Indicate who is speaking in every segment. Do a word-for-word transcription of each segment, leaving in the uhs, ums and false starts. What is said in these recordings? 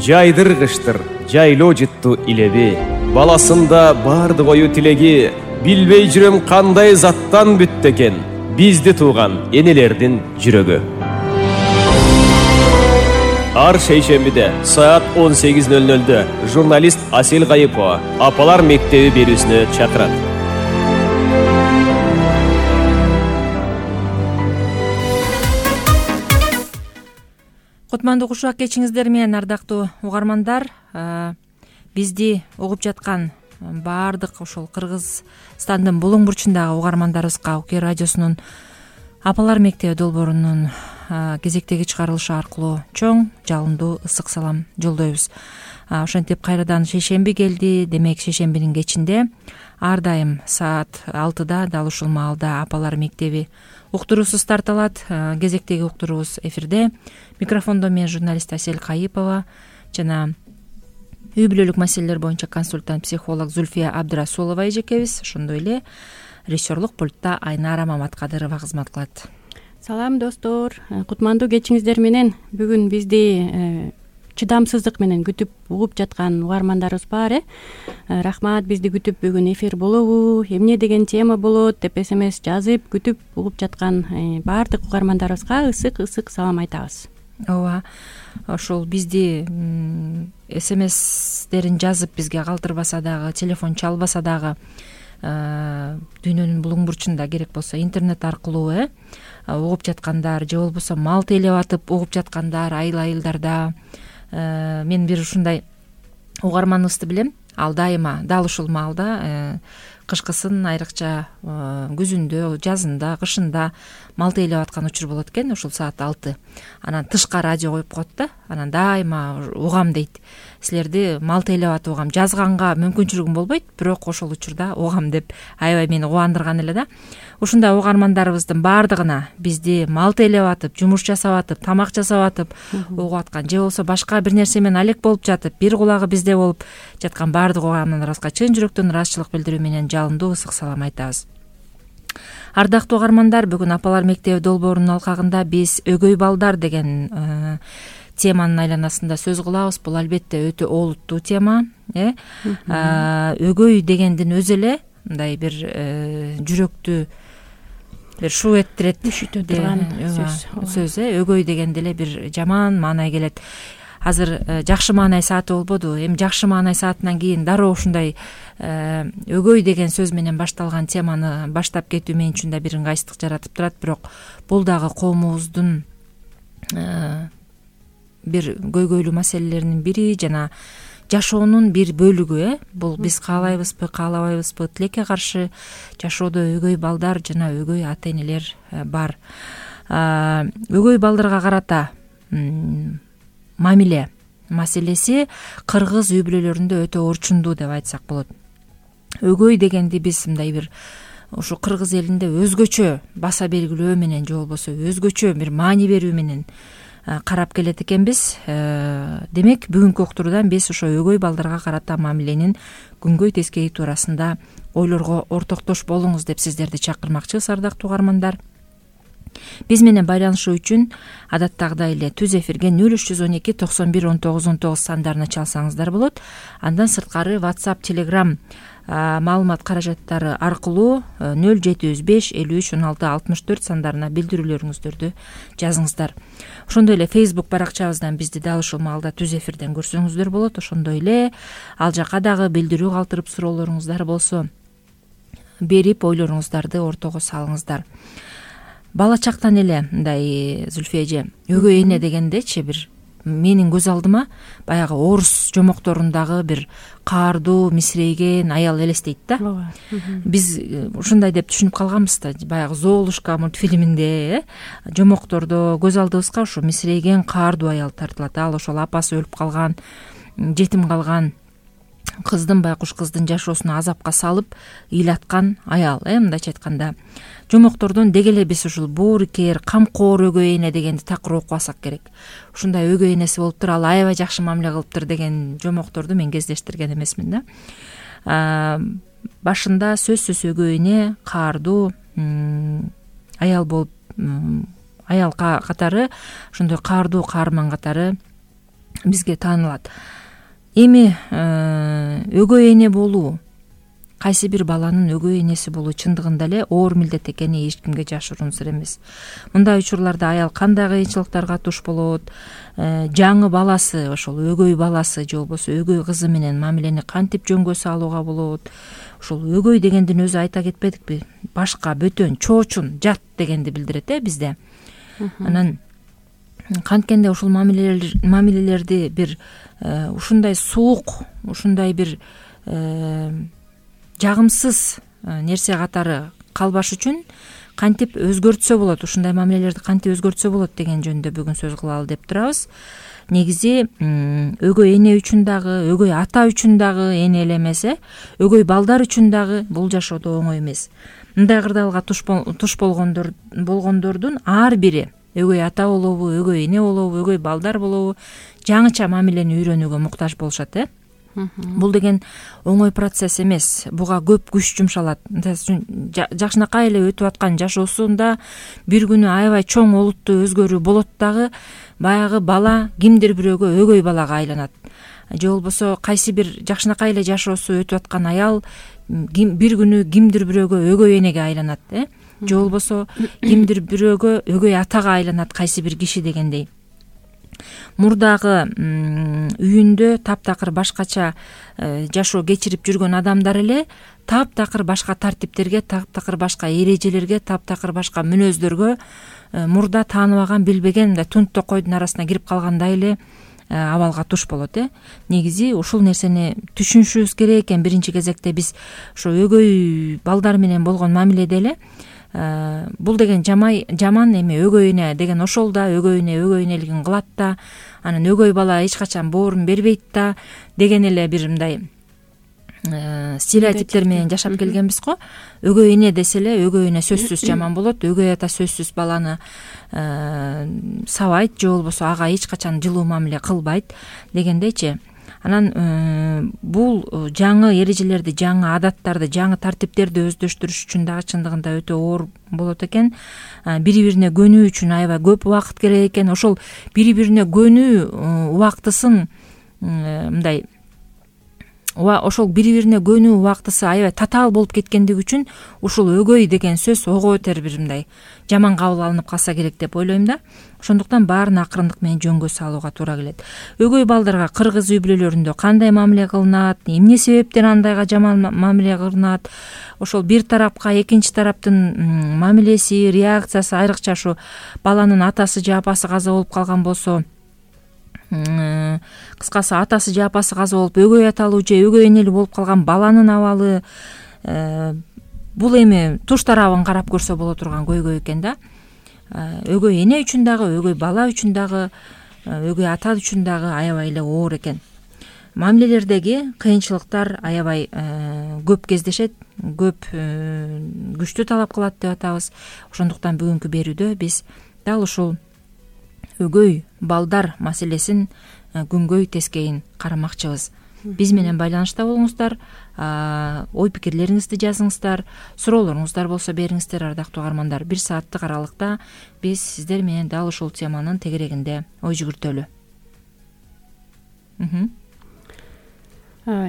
Speaker 1: жайдыргычтыр жайлоо жытту илеби. Баласында бардык ою тилеги, билбей жүрөм кандай заттан бүттү экен бизди тууган энелердин жүрөгү. Ар шейшембиде саат он сегиз ноль нольдө журналист Асел Кайыпова апалар мектеби берүүсүнө чакырат.
Speaker 2: Кутмандуу кушак кечиңиздер менен, ардактуу угармандар. Бизди угуп жаткан баардык ошол Кыргызстандын булуң бурчундагы угармандарыбызга Уке радиосунун апалар мектеби долбоорунун кезектеги чыгарылышы аркылуу чоң жалындуу ысык салам жолдойбуз. Ошентип кайрадан шейшемби келди. Демек шейшембинин кечинде ар дайым саат алтыда дал ушул маалда апалар мектеби уктуруусу старт алат. Кезектеги уктуруубуз эфирде. Микрофондо мен журналист Асел Кайыпова жана үй бүлөлүк маселелер боюнча консультант психолог Зульфия Абдрасулова эжекебиз. Ошондой эле режиссерлук пультта Айнара Маматкадырова кызмат кылат.
Speaker 3: Салам достор, кутмандуу кечиңиздер менен. Бүгүн бизди чыдамсыздык менен күтүп угуп жаткан угармандарыбыз бар. э Рахмат, бизди күтүп бүгүн эфир болобу, эмне деген тема болот деп смс жазып күтүп угуп жаткан баардык угармандарыбызга ысык ысык салам айтабыз.
Speaker 2: Ооба, ошол бизди смстерин жазып бизге калтырбаса дагы, телефон чалбаса дагы, дүйнөнүн булуң бурчунда керек болсо интернет аркылуу э угуп жаткандар же болбосо мал тейлеп атып угуп жаткандар, айыл айылдарда. Мен бир ушундай угарманыбызды билем. Ал дайыма дал ушул маалда кышкысын, айрыкча күзүндө, жазында, кышында мал тейлеп аткан учур болот экен. Ушул саат алты. Анан тышка радио коюп коет да. Анан дайыма угам дейт. Силерди мал тейлеп атып угам. Жазганга мүмкүнчүлүгүм болбойт, бирок ошол учурда угам деп аябай мени кубандырган эле да. Ушундай угармандарыбыздын баардыгына бизди мал тейлеп атып, жумуш жасап атып, тамак жасап атып угуп аткан же болбосо башка бир нерсе менен алек болуп жатып, бир кулагы бизде болуп жаткан баардык угармандарыбызга чын жүрөктөн ыраазычылык билдирүү менен жалындуу ысык салам айтабыз. Ардактуу угармандар, бүгүн апалар мектеби долбоорунун алкагында биз өгөй балдар деген теманын айланасында сөз кылабыз. Бул албетте өтө олуттуу тема. э Өгөй дегендин өзү эле мындай бир жүрөктү бир шу эттирет,
Speaker 3: үшүтө турган
Speaker 2: сөз. э Өгөй дегенде эле бир жаман маанай келет. Азыр жакшы маанай сааты болбоду. Эми жакшы маанай саатынан кийин дароо ушундай өгөй деген сөз менен башталган теманы баштап кетүү мен үчүн да бир ыңгайсыздык жаратып турат. Бирок бул дагы коомубуздун бир көйгөйлүү маселелеринин бири жана жашоонун бир бөлүгү. э Бул биз каалайбызбы, каалабайбызбы, тилекке каршы жашоодо өгөй балдар жана өгөй ата энелер бар. Өгөй балдарга карата мамиле маселеси кыргыз үй бүлөлөрүндө өтө орчундуу деп айтсак болот. Өгөй дегенди биз мындай бир ушу кыргыз элинде өзгөчө баса белгилөө менен же болбосо өзгөчө бир маани берүү менен карап келет экенбиз. Демек бүгүнкү уктуруудан биз ошо өгөй балдарга карата мамиленин күнгөй тескеи туурасында ойлорго ортоктош болуңуз деп сиздерди чакырмакчыбыз, ардактуу угармандар. Биз менен байланышуу үчүн адаттагыдай эле түз эфирге нөл үч жүз он эки токсон бир он тогуз он тогуз сандарына чалсаңыздар болот. Андан сырткары WhatsApp, Telegram маалымат каражаттары аркылуу нөл жети жүз беш элүү үч он алты алтымыш төрт сандарына билдирүүлөрүңүздөрдү жазыңыздар. Ошондой эле Facebook баракчабыздан бизди дал ушул маалда түз эфирден көрсөңүздөр болот. Ошондой эле ал жака дагы билдирүү калтырып суроолоруңуздар болсо берип ойлоруңуздарды ортого салыңыздар. Бала чактан эле мындай Зульфия эже, өгөй эне дегендечи бир менин көз алдыма баягы орус жомокторундагы бир каардуу, мисирейген аял элестейт да. Биз ушундай деп түшүнүп калганбыз да, баягы Золушка мультфильминде жомоктордо көз алдыбызга ушу мисирейген каардуу аял тартылат. Ал ошол апасы өлүп калган, жетим калган кыздын, байкуш кыздын жашоосуна азапка салып ыйлаткан аял. Э мындайча айтканда жомоктордон деги эле биз ушул боорукер, камкор өгөй эне дегенди такыр окуп алсак керек. Ушундай өгөй энеси болуптур, ал аябай жакшы мамиле кылыптыр деген жомокторду мен кездештирген эмесмин да. Башында сөзсүз өгөй эне, каардуу аял болуп, аял катары, ошондой каардуу каарман катары бизге таанылат. Эми өгөй эне болуу, кайсы бир баланын өгөй энеси болуу чындыгында эле оор милдет экени эч кимге жашыруун сыр эмес. Мындай учурларда аял кандай кыйынчылыктарга туш болот, жаңы баласы, ошол өгөй баласы же болбосо өгөй кызы менен мамилени кантип жөнгө салууга болот. Ошол өгөй дегендин өзү айта кетпедикпи, башка, бөтөн, чоочун, жат дегенди билдирет э бизде. Анан канткенде ушул мамилелерди бир ушундай суук, ушундай бир жагымсыз нерсе катары калбаш үчүн кантип өзгөртсө болот, ушундай мамилелерди кантип өзгөртсө болот деген жөнүндө бүгүн сөз кылалы деп турабыз. Негизи өгөй эне үчүн дагы, өгөй ата үчүн дагы эне эле эмес, э өгөй балдар үчүн дагы бул жашоодо оңой эмес. Мындай кырдаалга туш болгондор болгондордун ар бири өгөй ата болобу, өгөй эне болобу, өгөй балдар болобу жаңыча мамилени үйрөнүүгө муктаж болушат, э бул деген оңой процесс эмес. Буга көп күч жумшалат. Жакшынакай эле өтүп аткан жашоосунда бир күнү аябай чоң олуттуу өзгөрүү болот дагы баягы бала кимдир бирөөгө өгөй балага айланат. Же болбосо кайсы бир жакшынакай эле жашоосу өтүп аткан аял бир күнү кимдир бирөөгө өгөй энеге айланат, э же болбосо кимдир бирөөгө өгөй атага айланат кайсы бир киши дегендей. Мурдагы үйүндө таптакыр башкача жашоо кечирип жүргөн адамдар эле таптакыр башка тартиптерге, таптакыр башка эрежелерге, таптакыр башка мүнөздөргө мурда тааныбаган, билбеген мындай тунт токойдун арасына кирип калгандай эле абалга туш болот, э негизи ушул нерсени түшүнүшүбүз керек экен. Биринчи кезекте биз ошо өгөй балдар менен болгон мамиледе эле бул деген жаман эми өгөй эне деген ошол да өгөй эне өгөй энелигин кылат да, анан өгөй бала эч качан боорун бербейт да деген эле бир мындай стереотиптер менен жашап келгенбиз го. Өгөй эне десе эле өгөй эне сөзсүз жаман болот, өгөй ата сөзсүз баланы сабайт же болбосо ага эч качан жылуу мамиле кылбайт дегендейчи. Анан бул жаңы эрежелерди, жаңы адаттарды, жаңы тартиптерди өздөштүрүш үчүн дагы чындыгында өтө оор болот экен. Бири бирине көнүү үчүн аябай көп убакыт керек экен. Ошол бири бирине көнүү убактысын мындай ошол бири бирине көнүү убактысы аябай татаал болуп кеткендиги үчүн ушул өгөй деген сөз ого бетер бир мындай жаман кабыл алынып калса керек деп ойлойм да. Ошондуктан баарын акырындык менен жөнгө салууга туура келет. Өгөй балдарга кыргыз үй бүлөлөрүндө кандай мамиле кылынат, эмне себептен андайга жаман мамиле кылынат, ошол бир тарапка экинчи тараптын мамилеси, реакциясы, айрыкча ушу баланын атасы же апасы каза болуп калган болсо, кыскасы атасы же апасы каза болуп өгөй аталуу же өгөй энелүү болуп калган баланын абалы, бул эми туш тарабын карап көрсө боло турган көйгөй экен да. Өгөй эне үчүн дагы, өгөй бала үчүн дагы, өгөй ата үчүн дагы аябай эле оор экен. Мамилелердеги кыйынчылыктар аябай көп кездешет, көп күчтү талап кылат деп атабыз. Ошондуктан бүгүнкү берүүдө биз дал ушул өгөй балдар маселесин күнгөй тескейин карамакчыбыз. Биз менен байланышта болуңуздар, ой пикирлериңизди жазыңыздар, суроолоруңуздар болсо бериңиздер ардактуу угармандар. Бир сааттык аралыкта биз сиздер менен дал ушул теманын тегерегинде ой жүгүртөлү.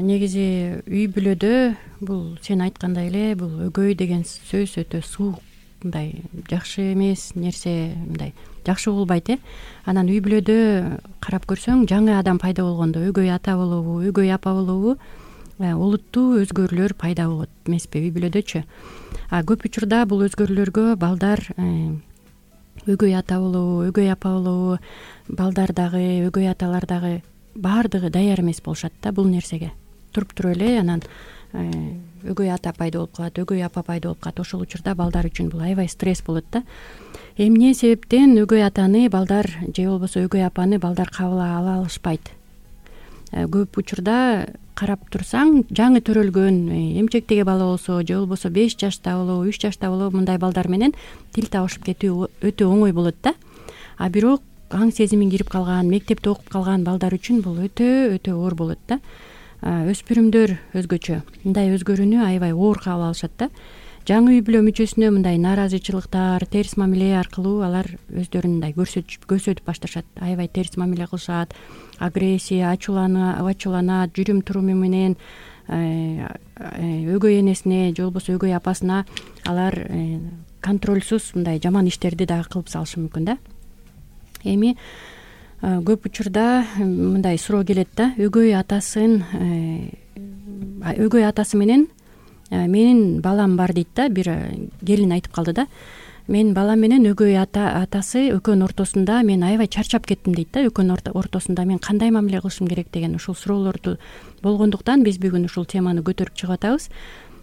Speaker 3: Негизи үй бүлөдө бул сен айткандай эле бул өгөй деген сөз өтө суук, мындай жакшы эмес нерсе, мындай жакшы болбойт, э анан үй бүлөдө карап көрсөң жаңы адам пайда болгондо өгөй ата болобу, өгөй апа болобу олуттуу өзгөрүүлөр пайда болот эмеспи үй бүлөдөчү. А көп учурда бул өзгөрүүлөргө балдар өгөй ата болобу, өгөй апа болобу, балдар дагы, өгөй аталар дагы баардыгы даяр эмес болушат да бул нерсеге. Туруп туруп эле анан өгөй ата пайда болуп калат, өгөй апа пайда болуп калат. Ошол учурда балдар үчүн бул аябай стресс болот да. Эмне себептен өгөй атаны балдар же болбосо өгөй апаны балдар кабыл ала алышпайт? Көп учурда карап турсаң, жаңы төрөлгөн эмчектеги бала болсо же болбосо беш жашта болобу, үч жашта болобу мындай балдар менен тил табышып кетүү өтө оңой болот да. А бирок аң сезимин кирип калган, мектепте окуп калган балдар үчүн бул өтө өтө оор болот да. Өспүрүмдөр өзгөчө мындай өзгөрүүнү аябай оор кабыл алышат да. жаңы үй бүлө мүчөсүнө мындай нааразычылыктар, терс мамиле аркылуу алар өздөрүн мындай көрсөтүп башташат, аябай терс мамиле кылышат, агрессия, ачууланат, жүрүм туруму менен өгөй энесине же болбосо өгөй апасына алар контролсуз мындай жаман иштерди дагы кылып салышы мүмкүн да. Эми көп учурда мындай суроо келет да, өгөй атасын өгөй атасы менен менин балам бар дейт да. Бир келин айтып калды да, менин балам менен өгөй ата атасы экөөнүн ортосунда мен аябай чарчап кеттим дейт да. Экөөнүн ортосунда мен кандай мамиле кылышым керек деген ушул суроолорду болгондуктан биз бүгүн ушул теманы көтөрүп чыгып атабыз.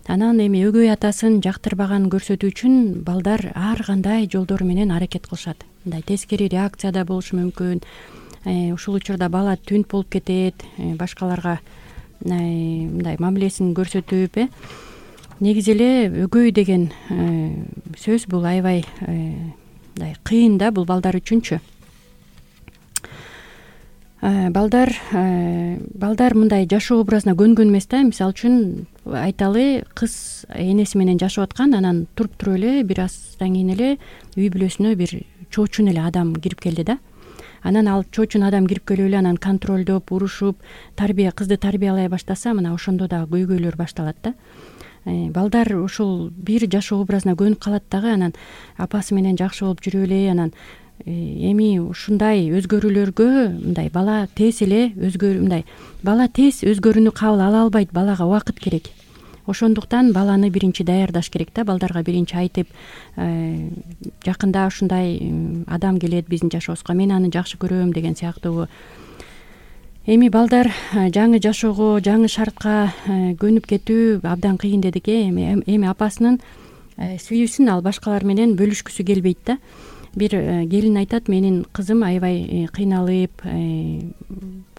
Speaker 3: Анан эми өгөй атасын жактырбаганын көрсөтүү үчүн балдар ар кандай жолдор менен аракет кылышат. Мындай тескери реакция да болушу мүмкүн. Ушул учурда бала түнт болуп кетет, башкаларга мындай мамилесин көрсөтүп, э негизи эле өгөй деген сөз бул аябай мындай кыйын да, бул балдар үчүнчү. Балдар балдар мындай жашоо образына көнгөн эмес да. Мисалы үчүн айталы, кыз энеси менен жашап аткан, анан туруп туруп эле бир аздан кийин эле үй бүлөсүнө бир чоочун эле адам кирип келди да. Анан ал чоочун адам кирип келип эле анан контролдоп, урушуп, тарбия кызды тарбиялай баштаса, мына ошондо дагы көйгөйлөр башталат да. Балдар ушул бир жашоо образына көнүп калат дагы, анан апасы менен жакшы болуп жүрүп эле, анан эми ушундай өзгөрүүлөргө мындай бала тез эле өзгөр мындай бала тез өзгөрүүнү кабыл ала албайт, балага убакыт керек. Ошондуктан баланы биринчи даярдаш керек да. Балдарга биринчи айтып, жакында ушундай адам келет биздин жашообузга, мен аны жакшы көрөм деген сыяктуу. Эми балдар жаңы жашоого, жаңы шартка көнүп кетүү абдан кыйын дедик. Эми эми апасынын сүйүүсүн ал башкалар менен бөлүшкүсү келбейт да. Бир келин айтат, менин кызым аябай кыйналып,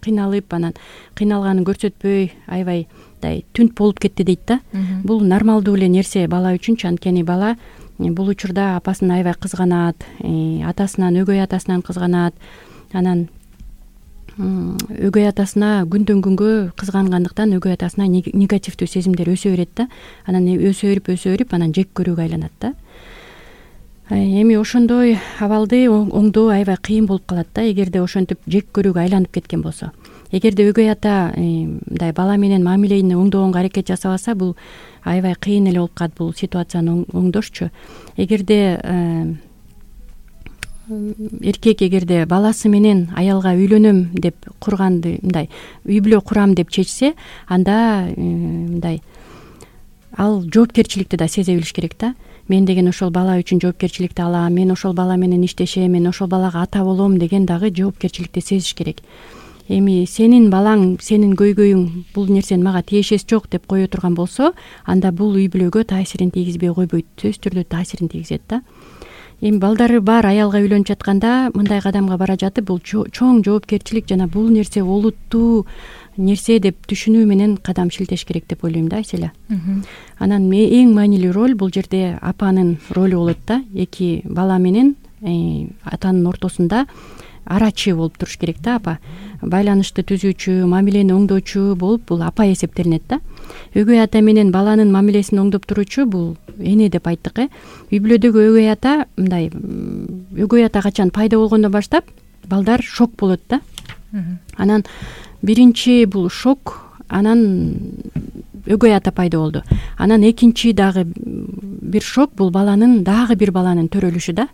Speaker 3: кыйналып анан кыйналганын көрсөтпөй аябай мындай түнт болуп кетти дейт да. Бул нормалдуу эле нерсе бала үчүнчү, анткени бала бул учурда апасын аябай кызганат, атасынан, өгөй атасынан кызганат. Анан өгөй атасына күндөн күнгө кызгангандыктан өгөй атасына негативдүү сезимдер өсө берет да. Анан өсө берип, өсө берип, анан жек көрүүгө айланат да. Эми ошондой абалды оңдоо аябай кыйын болуп калат да, эгерде ошентип жек көрүүгө айланып кеткен болсо. Эгерде өгөй ата мындай бала менен мамилени оңдогонго аракет жасабаса, бул аябай кыйын эле болуп калат бул ситуацияны оңдошчу. Эгерде эркек эгерде баласы менен аялга үйлөнөм деп курганды, мындай үй бүлө курам деп чечсе, анда мындай ал жоопкерчиликти да сезе билиш керек да. Мен деген ошол бала үчүн жоопкерчиликти алам, мен ошол бала менен иштешем, мен ошол балага ата болом деген дагы жоопкерчиликти сезиш керек. Эми сенин балаң, сенин көйгөйүң бул нерсени мага тиешеси жок деп кое турган болсо, анда бул үй бүлөгө таасирин тийгизбей койбойт, сөзсүз түрдө таасирин тийгизет да. Эми балдары бар аялга үйлөнүп жатканда мындай кадамга бара жатып, бул чоң жоопкерчилик жана бул нерсе олуттуу нерсе деп түшүнүү менен кадам шилтеш керек деп ойлойм да, Айселя. Анан эң маанилүү роль бул жерде апанын ролу болот да. Эки бала менен атанын ортосунда арачы болуп туруш керек да. Апа байланышты түзүүчү, мамилени оңдоочу болуп бул апа эсептелинет да. Өгөй ата менен баланын мамилесин оңдоп туруучу бул эне деп айттык. э Үй бүлөдөгү өгөй ата мындай өгөй ата качан пайда болгондон баштап балдар шок болот да. Анан биринчи бул шок, анан өгөй ата пайда болду. Анан экинчи дагы бир шок бул баланын дагы бир баланын төрөлүшү да.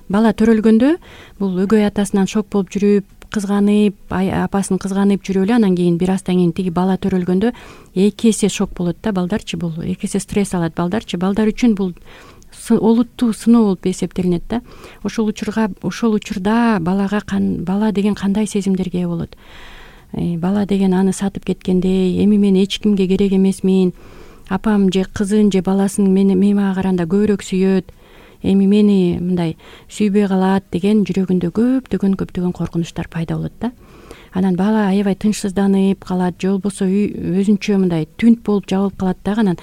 Speaker 3: Бала төрөлгөндө бул өгөй атасынан шок болуп жүрүп, кызганып, апасын кызганып жүрүп эле, анан кийин бир аздан кийин тиги бала төрөлгөндө эки эсе шок болот да балдарчы, бул эки эсе стресс алат балдарчы. Балдар үчүн бул олуттуу сыноо болуп эсептелинет да. Ошол учурга ошол учурда балага бала деген кандай сезимдерге ээ болот? Бала деген аны сатып кеткендей, эми мен эч кимге керек эмесмин, апам же кызын же баласын мени мага караганда көбүрөөк сүйөт, эми мени мындай сүйбөй калат деген жүрөгүндө көптөгөн көптөгөн коркунучтар пайда болот да. Анан бала аябай тынчсызданып калат, же болбосо өзүнчө мындай түнт болуп жабылып калат дагы. Анан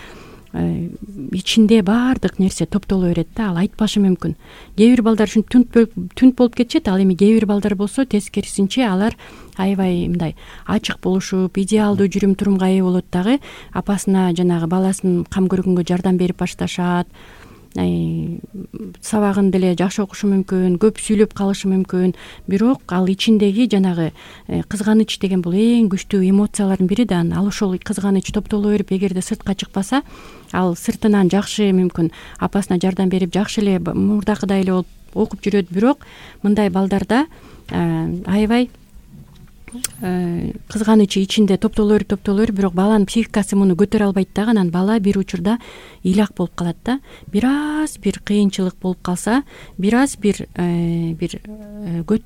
Speaker 3: ичинде баардык нерсе топтоло берет да, ал айтпашы мүмкүн. Кээ бир балдар ушинтип түнт түнт болуп кетишет, ал эми кээ бир балдар болсо тескерисинче алар аябай мындай ачык болушуп, идеалдуу жүрүм турумга ээ болот дагы, апасына жанагы баласын кам көргөнгө жардам берип башташат, сабагын деле жакшы окушу мүмкүн, көп сүйлөп калышы мүмкүн, бирок ал ичиндеги жанагы кызганыч деген бул эң күчтүү эмоциялардын бири да. Ал ошол кызганыч топтоло берип, эгерде сыртка чыкпаса, ал сыртынан жакшы мүмкүн апасына жардам берип, жакшы эле мурдакыдай эле болуп окуп жүрөт, бирок мындай балдарда аябай кызганычы ичинде топтоло берип топтоло берип, бирок баланын психикасы муну көтөрө албайт дагы. Анан бала бир учурда ыйлак болуп калат да. Бир аз бир кыйынчылык болуп калса, бир аз бир бир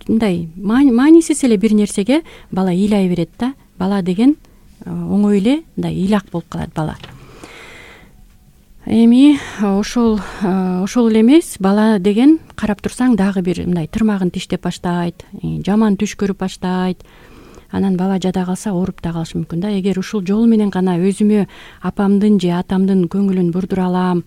Speaker 3: мындай маанисиз эле бир нерсеге бала ыйлай берет да. Бала деген оңой эле мындай ыйлак болуп калат бала. Эми ошол ошол эле эмес, бала деген карап турсаң дагы бир мындай тырмагын тиштеп баштайт, жаман түш көрүп баштайт. Анан бала жада калса ооруп да калышы мүмкүн да. Эгер ушул жол менен гана өзүмө апамдын же атамдын көңүлүн бурдура алам,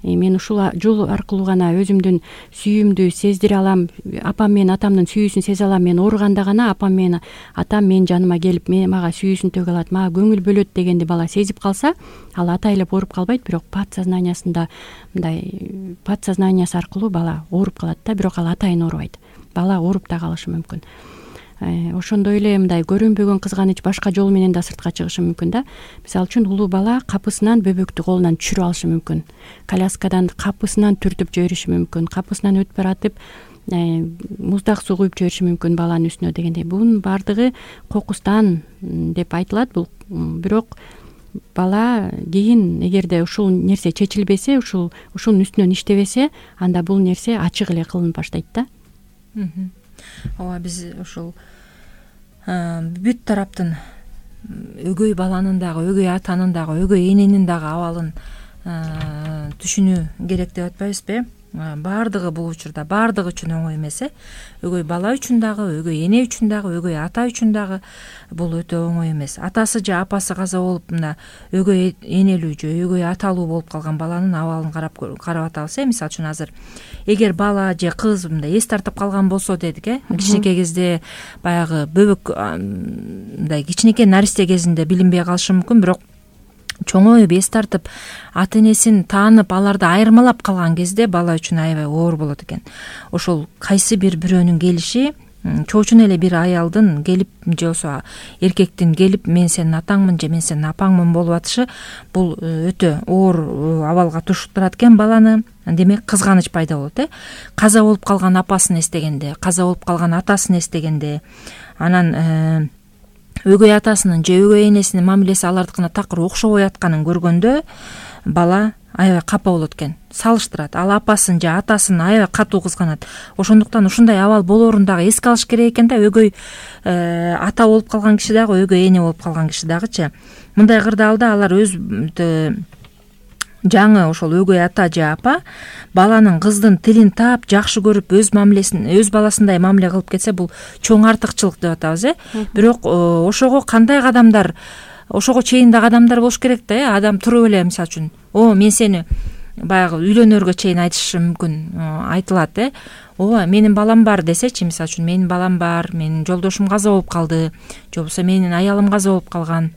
Speaker 3: мен ушул жол аркылуу гана өзүмдүн сүйүүмдү сездире алам, апам менен атамдын сүйүүсүн сезе алам, мен ооруганда гана апам менен атам менин жаныма келип мага сүйүүсүн төгө алат, мага көңүл бөлөт дегенди бала сезип калса, ал атайлап ооруп калбайт, бирок подсознаниясында мындай подсознаниясы аркылуу бала ооруп калат да, бирок ал атайын оорубайт. Бала ооруп да калышы мүмкүн. Ошондой эле мындай көрүнбөгөн кызганыч башка жол менен да сыртка чыгышы мүмкүн да. Мисалы үчүн улуу бала капысынан бөбөктү колунан түшүрүп алышы мүмкүн, коляскадан капысынан түртүп жибериши мүмкүн, капысынан өтүп баратып муздак суу куюп жибериши мүмкүн баланын үстүнө дегендей. Бунун баардыгы кокустан деп айтылат. Бул бирок бала кийин эгерде ушул нерсе чечилбесе, ушул ушунун үстүнөн иштебесе, анда бул нерсе ачык эле кылынып баштайт да.
Speaker 2: Ооба, биз ушул бүт тараптын өгөй баланын дагы, өгөй атанын дагы, өгөй эненин дагы абалын түшүнүү керек деп атпайбызбы? Баардыгы бул учурда баардыгы үчүн оңой эмес э. Өгөй бала үчүн дагы, өгөй эне үчүн дагы, өгөй ата үчүн дагы бул өтө оңой эмес. Атасы же апасы каза болуп мына өгөй энелүү же өгөй аталуу болуп калган баланын абалын карап карап атабыз э. Мисалы үчүн азыр эгер бала же кыз мындай эс тартып калган болсо дедик э, кичинекей кезде баягы бөбөк мындай кичинекей наристе кезинде билинбей калышы мүмкүн, бирок чоңоюп эс тартып ата энесин таанып аларды айырмалап калган кезде бала үчүн аябай оор болот экен. Ошол кайсы бир бирөөнүн келиши, чоочун эле бир аялдын келип же болбосо эркектин келип мен сенин атаңмын же мен сенин апаңмын болуп атышы, бул өтө оор абалга туштурат экен баланы. Демек кызганыч пайда болот э. Каза болуп калган апасын эстегенде, каза болуп калган атасын эстегенде, анан өгөй атасынын же өгөй энесинин мамилеси алардыкына такыр окшобой атканын көргөндө бала аябай капа болот экен, салыштырат. Ал апасын же атасын аябай катуу кызганат. Ошондуктан ушундай абал болоорун дагы эске алыш керек экен да. Өгөй ата болуп калган киши дагы, өгөй эне болуп калган киши дагычы. Мындай кырдаалда алар өз жаңы ошол өгөй ата же апа баланын кыздын тилин таап жакшы көрүп өз мамилесин өз баласындай мамиле кылып кетсе, бул чоң артыкчылык деп атабыз э. Бирок ошого кандай кадамдар, ошого чейин да кадамдар болуш керек да э. Адам туруп эле мисалы үчүн о мен сени баягы үйлөнөргө чейин айтышы мүмкүн, айтылат э. Ооба, менин балам бар десечи, мисалы үчүн менин балам бар, менин жолдошум каза болуп калды, же болбосо менин аялым каза болуп калган,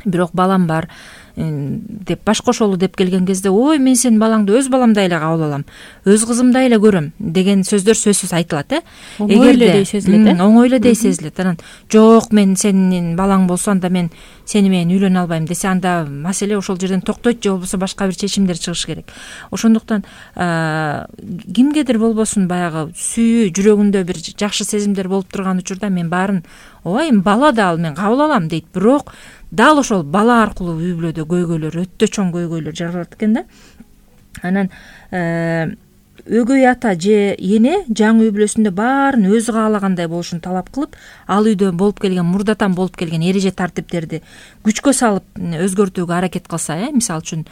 Speaker 2: бирок балам бар деп баш кошолу деп келген кезде ой мен сенин балаңды өз баламдай эле кабыл алам, өз кызымдай эле көрөм деген сөздөр сөзсүз айтылат э.
Speaker 3: Оңой эле дей сезилет э.
Speaker 2: Оңой эле дей сезилет. Анан жок мен сенин балаң болсо анда мен сени менен үйлөнө албайм десе, анда маселе ошол жерден токтойт же болбосо башка бир чечимдер чыгыш керек. Ошондуктан кимгедир болбосун баягы сүйүү, жүрөгүндө бир жакшы сезимдер болуп турган учурда мен баарын ой бала да ал мен кабыл алам дейт. Бирок дал ошол бала аркылуу үй бүлөдө көйгөйлөр, өтө чоң көйгөйлөр жаралат экен да. Анан өгөй ата же эне жаңы үй бүлөсүндө баарын өзү каалагандай болушун талап кылып, ал үйдө болуп келген, мурдатан болуп келген эреже тартиптерди күчкө салып өзгөртүүгө аракет кылса, э мисалы үчүн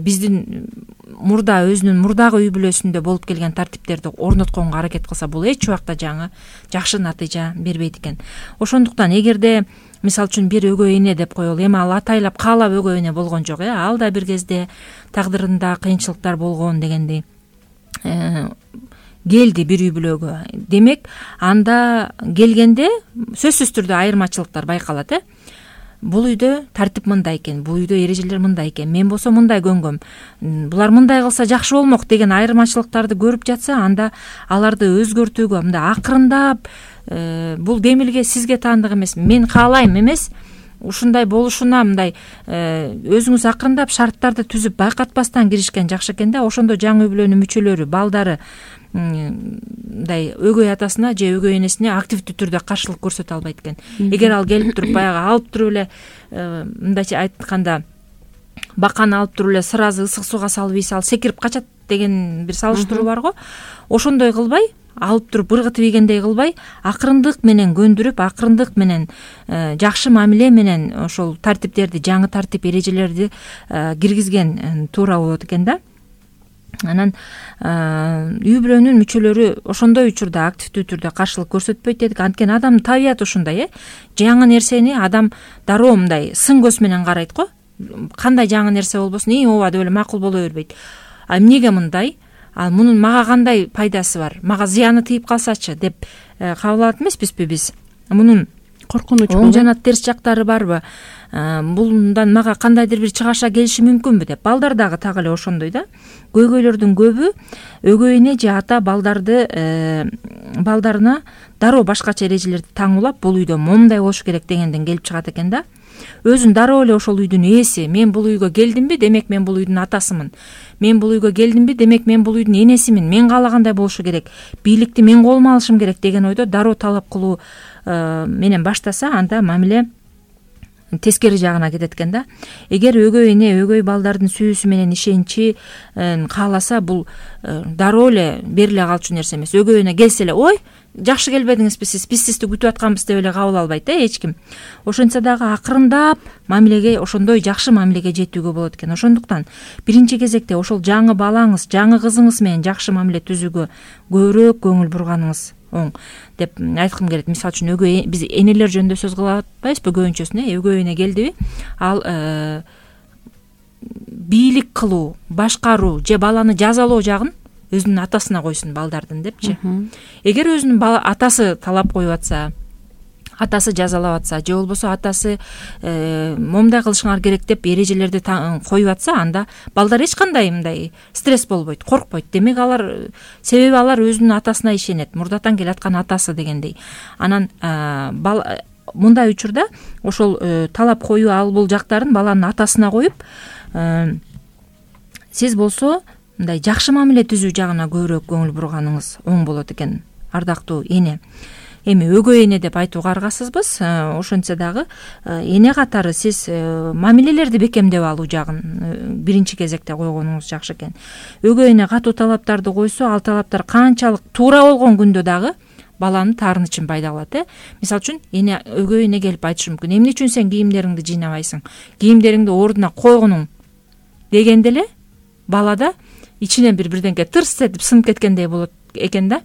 Speaker 2: биздин мурда өзүнүн мурдагы үй бүлөсүндө болуп келген тартиптерди орнотконго аракет кылса, бул эч убакта жаңы жакшы натыйжа бербейт экен. Ошондуктан эгерде мисалы үчүн бир өгөй эне деп коелу, эми ал атайлап каалап өгөй эне болгон жок, э ал да бир кезде тагдырында кыйынчылыктар болгон дегендей келди бир үй бүлөгө. Демек, анда келгенде сөзсүз түрдө айырмачылыктар байкалат, э бул үйдө тартип мындай экен, бул үйдө эрежелер мындай экен, мен болсо мындай көнгөм, булар мындай кылса жакшы болмок деген айырмачылыктарды көрүп жатса, анда аларды өзгөртүүгө мындай акырындап, бул кемилге сизге таандык эмес, мен каалайм эмес, ушундай болушуна мындай өзүңүз акырындап шарттарды түзүп байкатпастан киришкен жакшы экен да. Ошондо жаңы үй бүлөнүн мүчөлөрү, балдары мындай өгөй атасына же өгөй энесине активдүү түрдө каршылык көрсөтө албайт экен. Эгер ал келип туруп баягы алып туруп эле, мындайча айтканда, баканы алып туруп эле сразу ысык сууга салып ийсе, ал секирип качат деген бир салыштыруу бар го. Ошондой кылбай, алып туруп ыргытып ийгендей кылбай, акырындык менен көндүрүп, акырындык менен жакшы мамиле менен ошол тартиптерди, жаңы тартип эрежелерди киргизген туура болот экен да. Анан үй бүлөнүн мүчөлөрү ошондой учурда активдүү түрдө каршылык көрсөтпөйт дедик. Анткени адамдын табияты ушундай, э жаңы нерсени адам дароо мындай сын көз менен карайт го. Кандай жаңы нерсе болбосун, и ооба деп эле макул боло бербейт. А эмнеге мындай? Ал мунун мага кандай пайдасы бар? Мага зыяны тийип калсачы деп кабыл алат эмеспизби биз? Мунун
Speaker 3: коркунуч
Speaker 2: оң жана терс жактары барбы? Булдан мага кандайдыр бир чыгаша келиши мүмкүнбү деп. Балдар дагы так эле ошондой да. Көйгөйлөрдүн көбү өгөй эне же ата балдарды балдарына дароо башкача эрежелерди таңуулап, бул үйдө момундай болуш керек дегенден келип чыгат экен да. Өзүн дароо эле ошол үйдүн ээси, мен бул үйгө келдимби, демек мен бул үйдүн атасымын. Мен бул үйгө келдимби, демек мен бул үйдүн энесимин. Мен каалагандай болушу керек. Бийликти мен колума алышым керек деген ойдо дароо талап кылуу менен баштаса, анда мамиле тескери жагына кетет экен да. Эгер өгөй эне өгөй балдардын сүйүүсү менен ишеничи кааласа, бул дароо эле бериле калчу нерсе эмес. Өгөй эне келсе эле, ой, жакшы келбедиңизби сиз, биз сизди күтүп атканбыз деп эле кабыл албайт, э эч ким. Ошентсе дагы акырындап мамилеге, ошондой жакшы мамилеге жетүүгө болот экен. Ошондуктан биринчи кезекте ошол жаңы балаңыз, жаңы кызыңыз менен жакшы мамиле түзүүгө көбүрөөк көңүл бурганыңыз оң деп айткым келет. Мисалы үчүн өгөй биз энелер жөнүндө сөз кылып атпайбызбы көбүнчөсүнө? Өгөй эне келдиби, ал бийлик кылуу, башкаруу же баланы жазалоо жагын өзүнүн атасына койсун, балдардын депчи. Эгер өзүнүн атасы талап коюп атса, атасы жазалап атса, же болбосо атасы момундай кылышыңар керек деп эрежелерди коюп атса, анда балдар эч кандай мындай стресс болбойт, коркпойт. Демек алар, себеби алар өзүнүн атасына ишенет, мурдатан келаткан атасы дегендей. Анан мындай учурда ошол талап коюу ал бул жактарын баланын атасына коюп, сиз болсо мындай жакшы мамиле түзүү жагына көбүрөөк көңүл бурганыңыз оң болот экен, ардактуу эне. Эми өгөй эне деп айтууга аргасызбыз. Ошентсе дагы эне катары сиз мамилелерди бекемдеп алуу жагын биринчи кезекте койгонуңуз жакшы экен. Өгөй эне катуу талаптарды койсо, ал талаптар канчалык туура болгон күндө дагы баланын таарынычын пайда кылат, э. Мисалы үчүн эне өгөй эне келип айтышы мүмкүн: эмне үчүн сен кийимдериңди жыйнабайсың? Кийимдериңди ордуна койгонуң дегенде эле балада ичинен бир бирдеңке тырс этип сынып кеткендей болот экен да.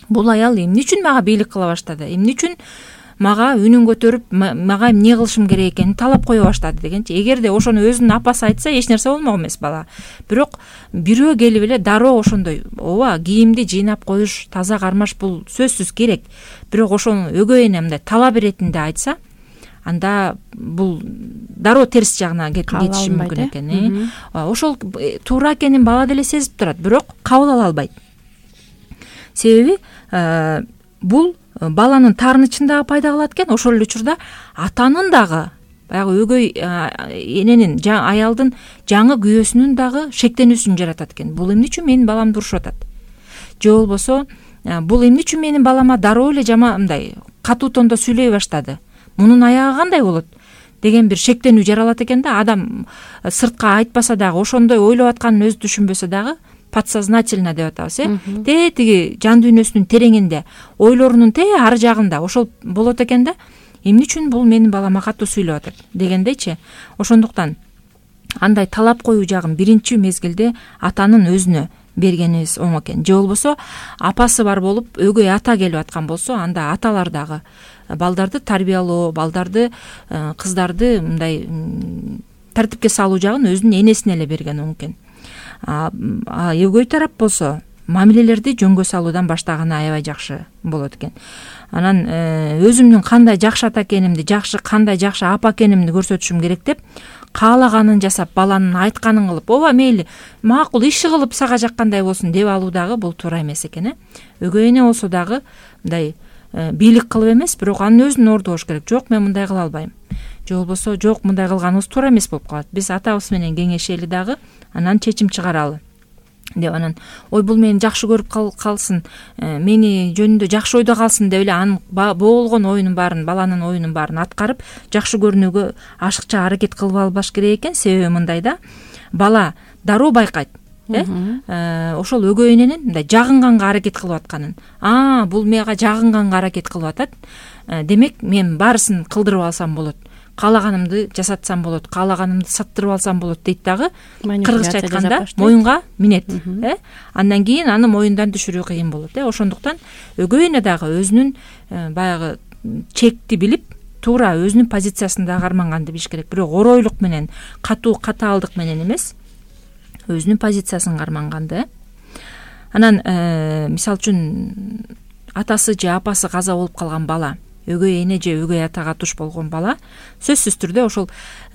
Speaker 2: Бул аял эмне үчүн мага бийлик кыла баштады? Эмне үчүн мага үнүн көтөрүп, мага эмне кылышым керек экенин талап кое баштады дегенчи. Эгерде ошону өзүнүн апасы айтса, эч нерсе болмок эмес бала. Бирок бирөө келип эле дароо ошондой, ооба, кийимди жыйнап коюш, таза кармаш бул сөзсүз керек. Бирок ошону өгөй эне мындай талап иретинде айтса, анда бул дароо терс жагына кетиши мүмкүн экен. Ошол туура экенин бала деле сезип турат, бирок кабыл ала албайт. Себеби бул баланын таарынычын дагы пайда кылат экен, ошол эле учурда атанын дагы, баягы өгөй эненин, аялдын жаңы күйөөсүнүн дагы шектенүүсүн жаратат экен. Бул эмне үчүн менин баламды урушуп атат? Же болбосо бул эмне үчүн менин балама дароо эле жама мындай катуу тондо сүйлөй баштады? Мунун аягы кандай болот? Деген бир шектенүү жаралат экен да. Адам сыртка айтпаса дагы, ошондой ойлоп атканын өзү түшүнбөсө дагы, подсознательно деп атабыз э те тиги жан дүйнөсүнүн тереңинде, ойлорунун те ар жагында ошол болот экен да, эмне үчүн бул менин балама катуу сүйлөп атат дегендейчи. Ошондуктан андай талап коюу жагын биринчи мезгилде атанын өзүнө бергенибиз оң экен. Же болбосо апасы бар болуп өгөй ата келип аткан болсо, анда аталар дагы балдарды тарбиялоо, балдарды, кыздарды мындай тартипке салуу жагын өзүнүн энесине эле берген оң экен. А өгөй тарап болсо мамилелерди жөнгө салуудан баштаганы аябай жакшы болот экен. Анан өзүмдүн кандай жакшы ата экенимди, жакшы кандай жакшы апа экенимди көрсөтүшүм керек деп каалаганын жасап, баланын айтканын кылып, ооба мейли, макул иши кылып сага жаккандай болсун деп алуу дагы бул туура эмес экен э. Өгөй эне болсо дагы мындай бийлик кылып эмес, бирок анын өзүн ордобош керек. Жок, мен мындай кыла албайм. Же болбосо жок, мындай кылганыбыз туура эмес болуп калат. Биз атабыз менен кеңешели дагы, анан чечим чыгаралы деп, анан ой бул мени жакшы көрүп калсын, мени жөнүндө жакшы ойдо калсын деп эле анын болгон оюнун баарын, баланын оюнун баарын аткарып жакшы көрүнүүгө ашыкча аракет кылып албаш керек экен. Себеби мындай да, бала дароо байкайт э ошол өгөй эненин мындай жагынганга аракет кылып атканын. А, бул мага жагынганга аракет кылып атат. Демек мен баарысын кылдырып алсам болот. Каалаганымды жасатсам болот, каалаганымды саттырып алсам болот дейт дагы. Кыргызча айтканда моюнга минет э. Андан кийин аны моюндан түшүрүү кыйын болот э. Ошондуктан өгөй эне дагы өзүнүн баягы чекти билип, туура өзүнүн позициясында карманганды билиш керек. Бирок оройлук менен, катуу катаалдык менен эмес, өзүнүн позициясын карманганды э. Анан мисалы үчүн атасы же апасы каза болуп калган бала, өгөй эне же өгөй атага туш болгон бала сөзсүз түрдө ошол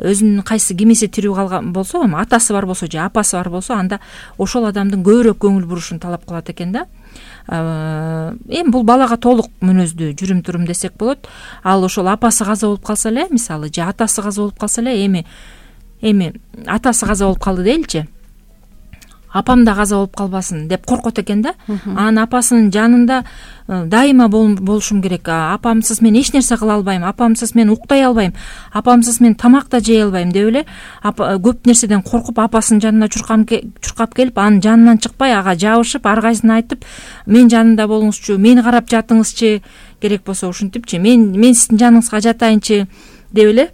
Speaker 2: өзүнүн кайсы кимиси тирүү калган болсо, атасы бар болсо же апасы бар болсо, анда ошол адамдын көбүрөөк көңүл бурушун талап кылат экен да. Эми бул балага толук мүнөздүү жүрүм турум десек болот. Ал ошол апасы каза болуп калса эле, мисалы, же атасы каза болуп калса эле, эми эми атасы каза болуп калды дейли, апам да каза болуп калбасын деп коркот экен да. Анын апасынын жанында дайыма болушум керек. Апамсыз мен эч нерсе кыла албайм, апамсыз мен уктай албайм, апамсыз мен тамак да жей албайм деп эле көп нерседен коркуп апасынын жанына чуркап келип, анын жанынан чыкпай ага жабышып, ар кайсына айтып, мен жанында болуңузчу, мени карап жатыңызчы, керек болсо ушинтипчи, мен мен сиздин жаныңызга жатайынчы деп эле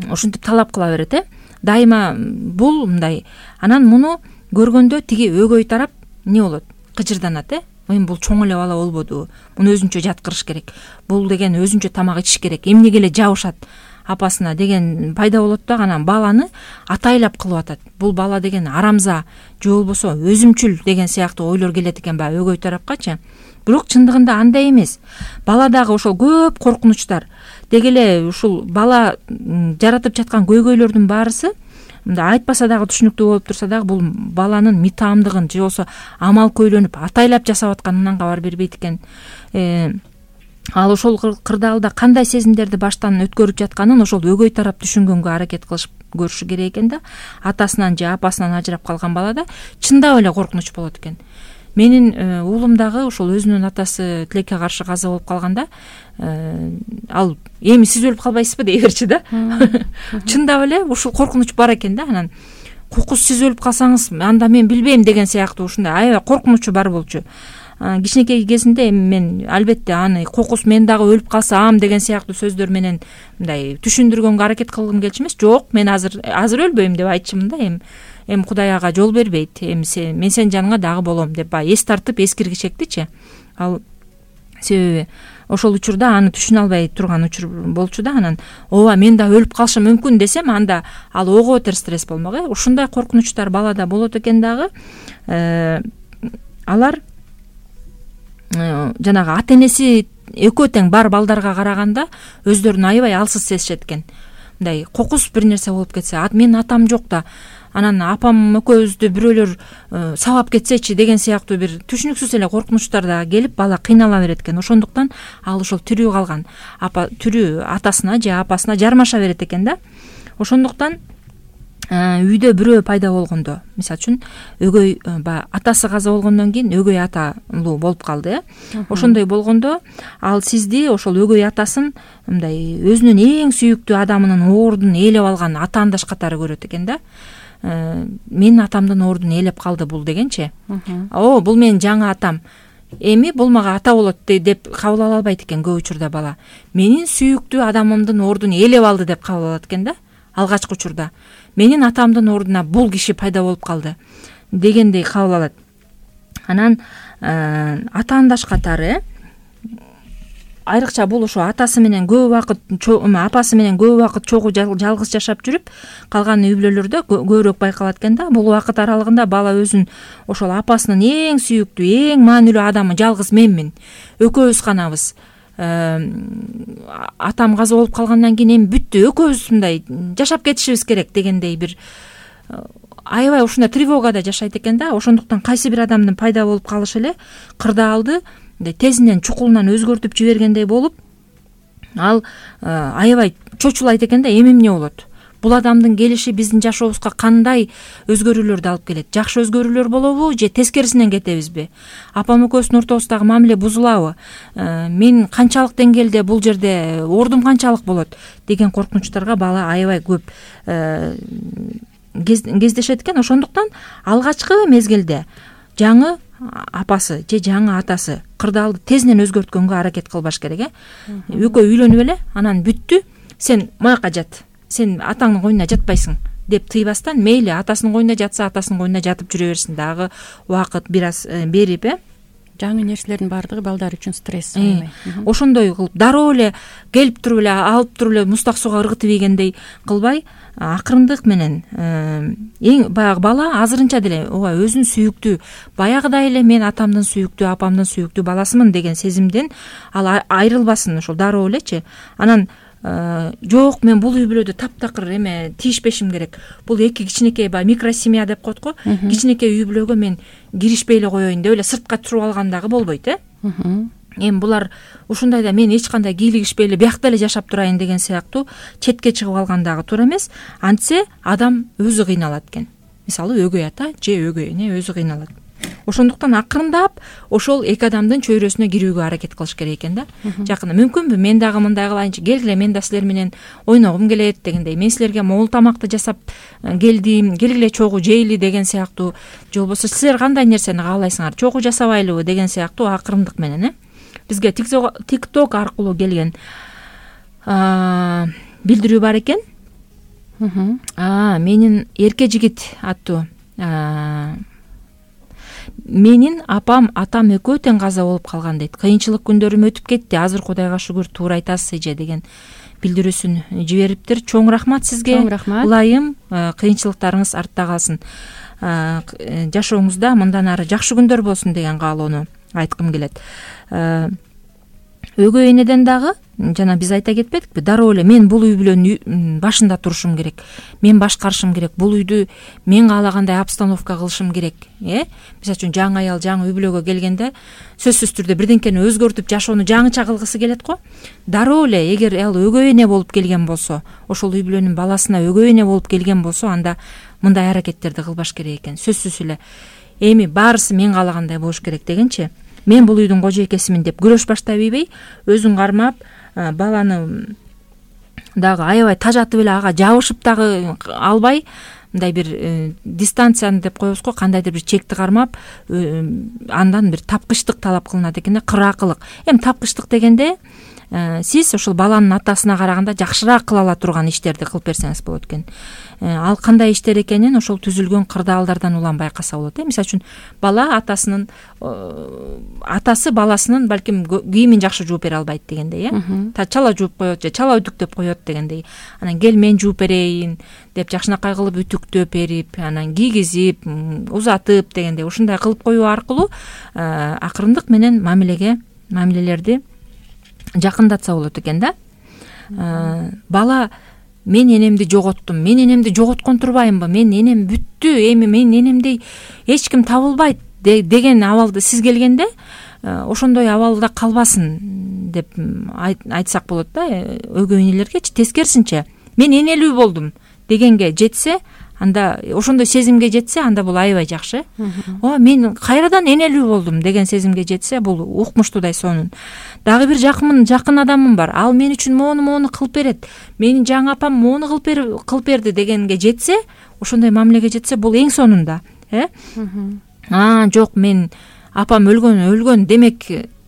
Speaker 2: ушинтип талап кыла берет э. Дайыма бул мындай. Анан муну көргөндө тиги өгөй тарап эмне болот? Кыжырданат э. Эми бул чоң эле бала болбоду, муну өзүнчө жаткырыш керек, бул деген өзүнчө тамак ичиш керек, эмнеге эле жабышат апасына деген пайда болот да. Анан баланы атайлап кылып атат. Бул бала деген арамза же болбосо өзүмчүл деген сыяктуу ойлор келет экен баягы өгөй тарапкачы. Бирок чындыгында андай эмес. Бала дагы ошол көп коркунучтар, деги эле ушул бала жаратып жаткан көйгөйлөрдүн баарысы мындай айтпаса дагы түшүнүктүү болуп турса дагы бул баланын митаамдыгын же болбосо амал көйлөнүп атайлап жасап атканынан кабар бербейт экен. Ал ошол кырдаалда кандай сезимдерди баштан өткөрүп жатканын ошол өгөй тарап түшүнгөнгө аракет кылышып көрүшү керек экен да. Атасынан же апасынан ажырап калган балада чындап эле коркунуч болот экен. Менин уулум дагы ошол өзүнүн атасы тилекке каршы каза болуп калганда, ал эми сиз өлүп калбайсызбы дей берчи да. Чындап эле ушул коркунуч бар экен да. Анан кокус сиз өлүп калсаңыз анда мен билбейм деген сыяктуу ушундай аябай коркунучу бар болчу. Кичинекей кезинде эми мен албетте аны кокус мен дагы өлүп калсам деген сыяктуу сөздөр менен мындай түшүндүргөнгө аракет кылгым келчү эмес. Жок, мен азыр азыр өлбөйм деп айтчымын да. Эми эми Кудай ага жол бербейт, эми сен мен сенин жаныңа дагы болом деп баягы эс тартып эскиргичектичи. Ал себеби ошол учурда аны түшүнө албай турган учур болчу да. Анан ооба мен да өлүп калышым мүмкүн десем, анда ал ого бетер стресс болмок э. Ушундай коркунучтар балада болот экен дагы. Алар жанагы ата энеси экөө тең бар балдарга караганда өздөрүн аябай алсыз сезишет экен. Мындай кокус бир нерсе болуп кетсе, менин атам жок да, анан апам экөөбүздү бирөөлөр сабап кетсечи деген сыяктуу бир түшүнүксүз эле коркунучтар дагы келип бала кыйнала берет экен. Ошондуктан ал ошол тирүү калган апа тирүү атасына же апасына жармаша берет экен да. Ошондуктан үйдө бирөө пайда болгондо, мисалы үчүн өгөй атасы каза болгондон кийин өгөй аталуу болуп калды э. Ошондой болгондо ал сизди ошол өгөй атасын мындай өзүнүн эң сүйүктүү адамынын оордун ээлеп алган ата андаш катары көрөт экен да. менин атамдын ордун ээлеп калды бул дегенчи. О, бул менин жаңы атам, эми бул мага ата болот деп кабыл ала албайт экен көп учурда бала. Менин сүйүктүү адамымдын ордун ээлеп алды деп кабыл алат экен да. Алгачкы учурда менин атамдын ордуна бул киши пайда болуп калды дегендей кабыл алат. Анан атаандаш катары айрыкча бул ошо атасы менен көп убакыт, апасы менен көп убакыт чогуу жалгыз жашап жүрүп калган үй бүлөлөрдө көбүрөөк байкалат экен да. Бул убакыт аралыгында бала өзүн ошол апасынын эң сүйүктүү, эң маанилүү адамы жалгыз менмин, экөөбүз ганабыз, атам каза болуп калгандан кийин эми бүттү, экөөбүз мындай жашап кетишибиз керек дегендей бир аябай ушундай тревогада жашайт экен да. Ошондуктан кайсы бир адамдын пайда болуп калышы эле кырдаалды тезинен чукулунан өзгөртүп жибергендей болуп, ал аябай чочулайт экен да. Эми эмне болот? Бул адамдын келиши биздин жашообузга кандай өзгөрүүлөрдү алып келет? Жакшы өзгөрүүлөр болобу же тескерисинен кетебизби? Апам экөөбүздүн ортобуздагы мамиле бузулабы? Мен канчалык деңгээлде бул жерде ордум канчалык болот деген коркунучтарга бала аябай көп кездешет экен. Ошондуктан алгачкы мезгилде жаңы апасы же жаңы атасы кырдаалды тезинен өзгөрткөнгө аракет кылбаш керек. Экөө үйлөнүп эле, анан бүттү, сен мояка жат, сен атаңдын койнуна жатпайсың деп тыйбастан, мейли атасынын койнуна жатса атасынын койнуна жатып жүрө берсин, дагы убакыт бир аз берип, э
Speaker 3: жаңы нерселердин баардыгы балдар үчүн стресс.
Speaker 2: Ошондой кылып дароо эле келип туруп эле алып туруп эле мустак суга ыргытып ийгендей кылбай, акырындык менен эң баягы бала азырынча деле ооба өзүн сүйүктүү, баягыдай эле мен атамдын сүйүктүү, апамдын сүйүктүү баласымын деген сезимден ал айрылбасын ошол дароо элечи. Анан жок, мен бул үй бүлөдө таптакыр эме тийишпешим керек, бул эки кичинекей баягы микросемья деп коет го, кичинекей үй бүлөгө мен киришпей эле коеюн деп эле сыртка туруп алган дагы болбойт, э эми булар ушундайда мен эч кандай кийлигишпей эле биякта эле жашап турайын деген сыяктуу четке чыгып алган дагы туура эмес. Антсе адам өзү кыйналат экен. Мисалы өгөй ата же өгөй эне өзү кыйналат. Ошондуктан акырындап ошол эки адамдын чөйрөсүнө кирүүгө аракет кылыш керек экен да. Жакында мүмкүнбү мен дагы мындай кылайынчы, келгиле мен да силер менен ойногум келет дегендей, мен силерге могул тамакты жасап келдим, келгиле чогуу жейли деген сыяктуу, же болбосо силер кандай нерсени каалайсыңар, чогуу жасабайлыбы деген сыяктуу акырындык менен, э бизге тикток аркылуу келген билдирүү бар экен. Менин эрке жигит аттуу менин апам атам экөө тең каза болуп калган дейт. Кыйынчылык күндөрүм өтүп кетти, азыр Кудайга шүгүр туура айтасыз эже деген билдирүүсүн жибериптир. Чоң рахмат сизге.
Speaker 3: Чоң рахмат.
Speaker 2: Ылайым, кыйынчылыктарыңыз артта калсын. Жашооңузда мындан ары жакшы күндөр болсун деген каалоону айткым келет. Өгөй энеден дагы жана биз айта кетпедикпи, дароо эле мен бул үй бүлөнүн башында турушум керек, мен башкарышым керек, бул үйдү мен каалагандай обстановка кылышым керек, э мисалы үчүн жаңы аял жаңы үй бүлөгө келгенде сөзсүз түрдө бирденкени өзгөртүп жашоону жаңыча кылгысы келет го. Дароо эле эгер ал өгөй эне болуп келген болсо, ошол үй бүлөнүн баласына өгөй эне болуп келген болсо, анда мындай аракеттерди кылбаш керек экен. Сөзсүз эле эми баарысы мен каалагандай болуш керек дегенчи, мен бул үйдүн кожойкесимин деп күрөш баштап ийбей, өзүн кармап, баланы дагы аябай тажатып эле ага жабышып дагы албай, мындай бир дистанцияны деп коебуз го, кандайдыр бир чекти кармап, андан бир тапкычтык талап кылынат экен да, кыраакылык. Эми тапкычтык дегенде сиз ошол баланын атасына караганда жакшыраак кыла ала турган иштерди кылып берсеңиз болот экен. Ал кандай иштер экенин ошол түзүлгөн кырдаалдардан улам байкаса болот. Мисалы үчүн бала атасынын атасы баласынын балким кийимин жакшы жууп бере албайт дегендей, э чала жууп коет же чала үтүктөп коет дегендей. Анан кел мен жууп берейин деп жакшынакай кылып үтүктөп берип, анан кийгизип, узатып дегендей ушундай кылып коюу аркылуу акырындык менен мамилеге мамилелерди жакындатса болот экен да. Бала мен энемди жоготтум, мен энемди жоготкон турбаймынбы, мен энем бүттү, эми мен энемдей эч ким табылбайт деген абалды сиз келгенде ошондой абалда калбасын деп айтсак болот да. Өгөй энелергечи тескерисинче мен энелүү болдум дегенге жетсе, анда ошондой сезимге жетсе, анда бул аябай жакшы. О, мен кайрадан энелүү болдум деген сезимге жетсе, бул укмуштуудай сонун. Дагы бир жакын жакын адамым бар. Ал мен үчүн мону мону кылып берет. Менин жаңы апам мону кылып кылып берди дегенге жетсе, ошондой мамилеге жетсе, бул эң сонунда, э? А, жок, мен апам өлгөн, өлгөн, демек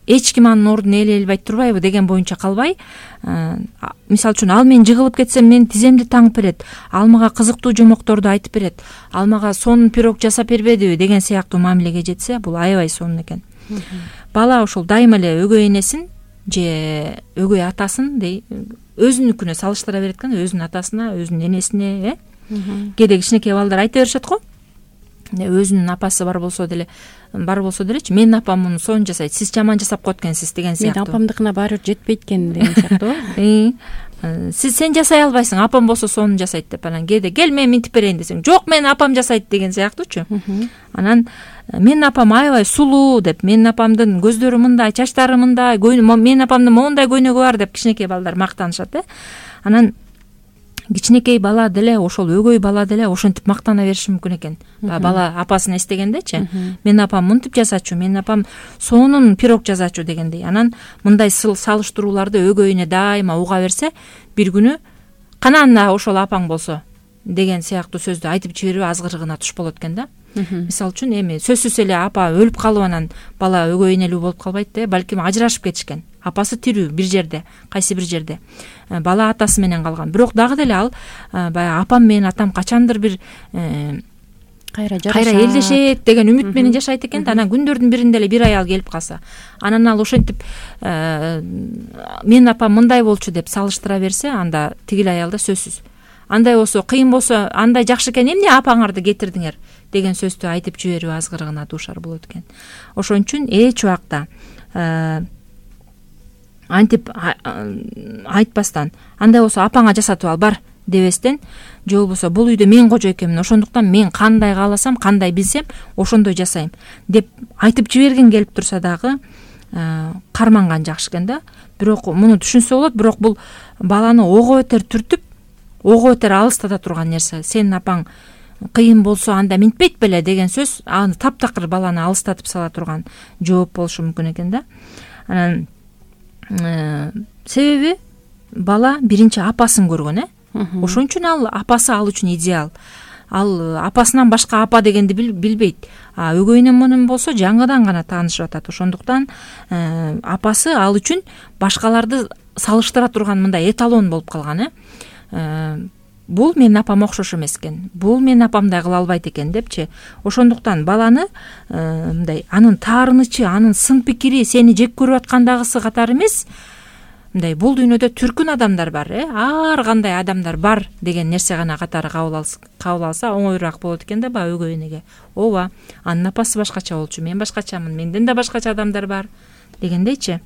Speaker 2: эч ким анын ордун ээлей албайт турбайбы деген боюнча калбай, мисалы үчүн ал мен жыгылып кетсем, менин тиземди таңып берет, ал мага кызыктуу жомокторду айтып берет, ал мага сонун пирог жасап бербедиби деген сыяктуу мамилеге жетсе, бул аябай сонун экен. Бала ошол дайыма эле өгөй энесин же өгөй атасын дей өзүнүкүнө салыштыра берет экен, өзүнүн атасына, өзүнүн энесине, э? Кээде кичинекей балдар айта беришет го. Өзүнүн апасы бар болсо деле, бар болсо делечи, менин апам муну сонун жасайт, сиз жаман жасап коет экенсиз деген сыяктуу.
Speaker 3: Менин апамдыкына баары бир жетпейт экен деген сыяктуу.
Speaker 2: Сиз сен жасай албайсың, апам болсо сонун жасайт деп, анан кээде кел мен минтип берейин десең, жок, менин апам жасайт деген сыяктуучу. Анан менин апам аябай сулуу деп, менин апамдын көздөрү мындай, чачтары мындай, менин апамдын моундай көйнөгү бар деп кичинекей балдар мактанышат, э? Анан кичинекей бала деле, ошол өгөй бала деле ошентип мактана бериши мүмкүн экен. Бала апасын эстегендечи, менин апам мынтип жасачу, менин апам сонун пирог жасачу дегендей. Анан мындай салыштырууларды өгөйүнө дайыма уга берсе, бир күнү кана анда ошол апаң болсо деген сыяктуу сөздү айтып жиберип азгырыгына туш болот экен да. Мисалы үчүн эми сөзсүз эле апа өлүп калып анан бала өгөй энелүү болуп калбайт да, балким ажырашып кетишкен. Апасы тирүү бир жерде, кайсы бир жерде. Бала атасы менен калган. Бирок дагы деле ал баягы апам менен атам качандыр бир
Speaker 3: кайра
Speaker 2: кайра элдешет деген үмүт менен жашайт экен да. Анан күндөрдүн биринде эле бир аял келип калса, анан ал ошентип менин апам мындай болчу деп салыштыра берсе, анда тигил аялда сөзсүз андай болсо, кыйын болсо, андай жакшы экен, эмне апаңарды кетирдиңер деген сөздү айтып жиберип азгырыгына дуушар болот экен. Ошон үчүн эч убакта антип айтпастан, андай болсо апаңа жасатып ал бар дебестен, же болбосо бул үйдө мен кожо экенмин, ошондуктан мен кандай кааласам, кандай билсем, ошондой жасайм деп айтып жибергин келип турса дагы карманган жакшы экен да. Бирок муну түшүнсө болот, бирок бул баланы ого бетер түртүп, ого бетер алыстата турган нерсе. Сенин апаң кыйын болсо анда минтпейт беле деген сөз аны таптакыр баланы алыстатып сала турган жооп болушу мүмкүн экен да. Анан себеби бала биринчи апасын көргөн, э? Ошон үчүн ал апасы ал үчүн идеал. Ал апасынан башка апа дегенди билбейт. А өгөйүнөн менен болсо жаңыдан гана таанышып атат. Ошондуктан апасы ал үчүн башкаларды салыштыра турган мындай эталон болуп калган, э? Бул менин апам окшош эмес экен, бул менин апамдай кыла албайт экен депчи. Ошондуктан баланы мындай анын таарынычы, анын сын пикири сени жек көрүп аткандагысы катары эмес, мындай бул дүйнөдө түркүн адамдар бар, э? Ар кандай адамдар бар деген нерсе гана катары кабыл алса оңоюраак болот экен да баягы өгөй энеге. Ооба, анын апасы башкача болчу, мен башкачамын, менден да башкача адамдар бар дегендейчи.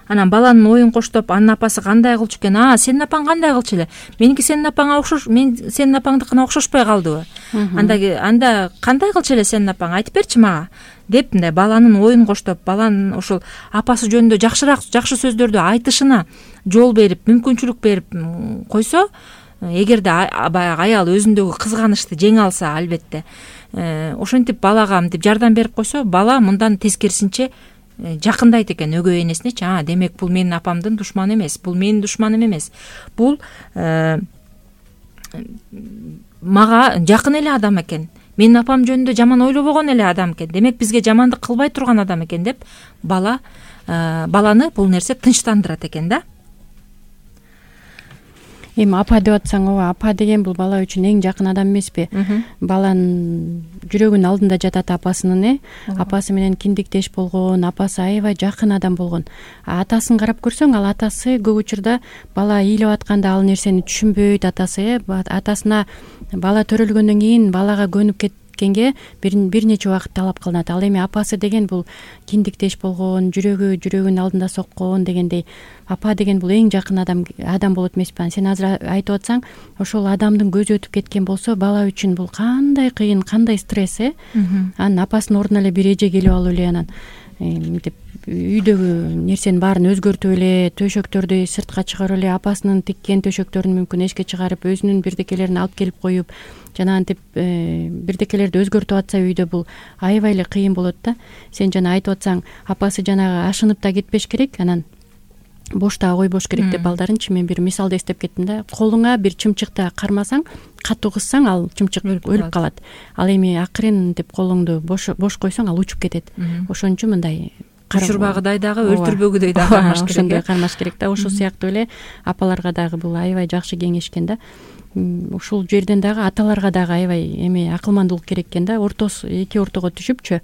Speaker 2: Анан баланын оюн коштоп, анын апасы кандай кылчу экен? А, сенин апаң кандай кылчу эле? Меники сенин апаңа окшош, мен сенин апаңдыкына окшошпой калдыбы? Анда анда кандай кылчу эле сенин апаң? Айтып берчи мага деп мындай баланын оюн коштоп, баланын ошол апасы жөнүндө жакшыраак жакшы сөздөрдү айтышына жол берип, мүмкүнчүлүк берип койсо, эгерде баягы аял өзүндөгү кызганычты жеңе алса, албетте, ошентип балага мынтип жардам берип койсо, бала мындан тескерисинче жакындайт экен өгөй энесинечи. А, демек бул менин апамдын душманы эмес, бул менин душманым эмес. Бул мага жакын эле адам экен. Менин апам жөнүндө жаман ойлобогон эле адам экен. Демек бизге жамандык кылбай турган адам экен деп бала баланы бул нерсе тынчтандырат экен да.
Speaker 3: Эми апа деп атсаң, ооба, апа деген бул бала үчүн эң жакын адам эмеспи? Баланын жүрөгүнүн алдында жатат апасынын, э? Апасы менен киндиктеш болгон, апасы аябай жакын адам болгон. Атасын карап көрсөң, ал атасы көп учурда бала ыйлап атканда ал нерсени түшүнбөйт, атасы, э? Атасына бала төрөлгөндөн кийин балага көнүп кеткенге бир нече убакыт талап кылынат. Ал эми апасы деген бул киндиктеш болгон, жүрөгү жүрөгүнүн алдында соккон дегендей. Апа деген бул эң жакын адам адам болот эмеспи? Сен азыр айтып атсаң, ошол адамдын көзү өтүп кеткен болсо, бала үчүн бул кандай кыйын, кандай стресс, э? Анын апасынын ордуна эле бир эже келип алып эле анан мынтип үйдөгү нерсенин баарын өзгөртүп эле, төшөктөрдү сыртка чыгарып эле, апасынын тиккен төшөктөрүн мүмкүн эшикке чыгарып, өзүнүн бирдекелерин алып келип коюп, жанагынтип бирдекелерди өзгөртүп атса үйдө бул аябай эле кыйын болот да. Сен жана айтып атсаң, апасы жанагы ашынып да кетпеш керек, анан бошто койбош керек деп балдарынчы. Мен бир мисалды эстеп кеттим да. Колуңа бир чымчыкты кармасаң, катуу кыссаң, ал чымчык өлүп калат. Ал эми акырын деп колуңду бош бош койсоң, ал учуп кетет. Ошон үчүн мындай
Speaker 2: учурбагыдай дагы, өлтүрбөгүдөй дагы кармаш керек.
Speaker 3: Ошондой кармаш керек да. Ошол сыяктуу эле апаларга дагы бул аябай жакшы кеңеш экен да. Ушул жерден дагы аталарга дагы аябай эме акылмандуулук керек экен да. Ортосу эки ортого түшүпчү.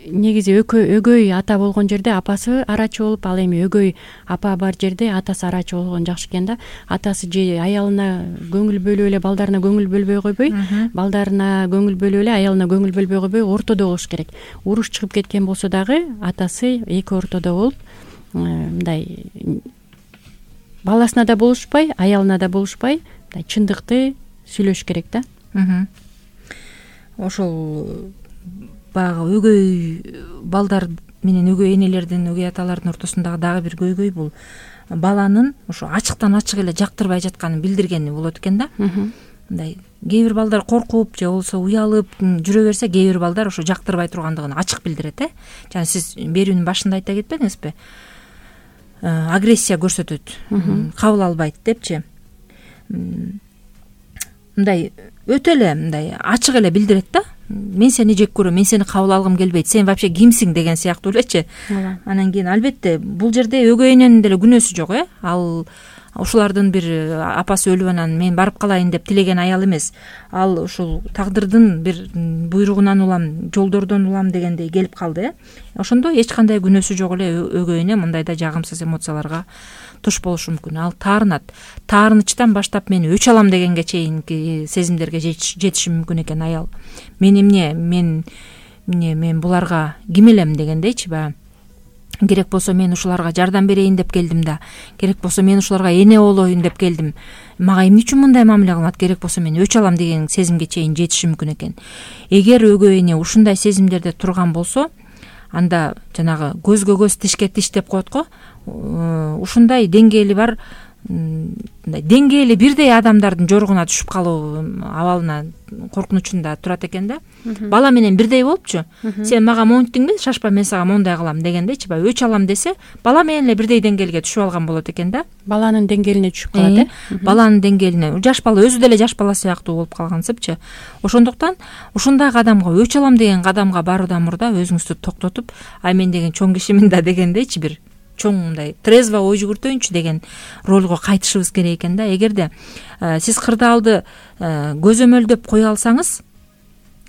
Speaker 3: Негизи өгөй ата болгон жерде апасы арачы болуп, ал эми өгөй апа бар жерде атасы арачы болгон жакшы экен да. Атасы же аялына көңүл бөлүп эле балдарына көңүл бөлбөй койбой, балдарына көңүл бөлүп эле аялына көңүл бөлбөй койбой, ортодо болуш керек. Уруш чыгып кеткен болсо дагы атасы эки ортодо болуп, мындай баласына да болушпай, аялына да болушпай, мындай чындыкты сүйлөш керек да.
Speaker 2: Ошол баягы өгөй балдар менен өгөй энелердин, өгөй аталардын ортосундагы дагы бир көйгөй бул баланын ошо ачыктан ачык эле жактырбай жатканын билдиргени болот экен да. Мындай кээ бир балдар коркуп же болбосо уялып жүрө берсе, кээ бир балдар ошо жактырбай тургандыгын ачык билдирет, э. Жана сиз берүүнүн башында айта кетпедиңизби? Агрессия көрсөтөт, кабыл албайт депчи. Мындай өтө эле мындай ачык эле билдирет да. Мен сени жек көрөм, мен сени кабыл алгым келбейт, сен вообще кимсиң деген сыяктуу элечи. Анан кийин албетте бул жерде өгөй эненин деле күнөөсү жок, э. Ал ушулардын бир апасы өлүп анан мен барып калайын деп тилеген аял эмес. Ал ушул тагдырдын бир буйругунан улам, жолдордон улам дегендей келип калды, э. Ошондо эч кандай күнөөсү жок эле өгөй эне мындайда жагымсыз эмоцияларга туш болушу мүмкүн. Ал таарынат. Таарынычтан баштап мен өч алам дегенге чейинки сезимдерге жетиши мүмкүн экен аял. Мен эмне, мен эмне, мен буларга ким элем дегендейчи баягы. Керек болсо мен ушуларга жардам берейин деп келдим да. Керек болсо мен ушуларга эне болоюн деп келдим. Мага эмне үчүн мындай мамиле кылат? Керек болсо мен өч алам деген сезимге чейин жетиши мүмкүн экен. Эгер өгөй эне ушундай сезимдерде турган болсо, анда жанагы көзгө көз, тишке тиш деп коет го. Ушундай деңгээли бар, мындай деңгээли бирдей адамдардын жоругуна түшүп калуу абалына, коркунучунда турат экен да. Бала менен бирдей болупчу. Сен мага монттиңби? Шашпа, мен сага мондай кылам дегендейчи. Баягы өч алам десе, бала менен эле бирдей деңгээлге түшүп алган болот экен да.
Speaker 3: Баланын деңгээлине түшүп калат, э.
Speaker 2: Баланын деңгээлине. Жаш бала өзү деле жаш бала сыяктуу болуп калгансыпчы. Ошондуктан ушундай кадамга, өч алам деген кадамга баруудан мурда өзүңүздү токтотуп, ай мен деген чоң кишимин да дегендейчи бир чоң мындай трезво ой жүгүртөйүнчү деген ролго кайтышыбыз керек экен да. Эгерде сиз кырдаалды көзөмөлдөп кое алсаңыз,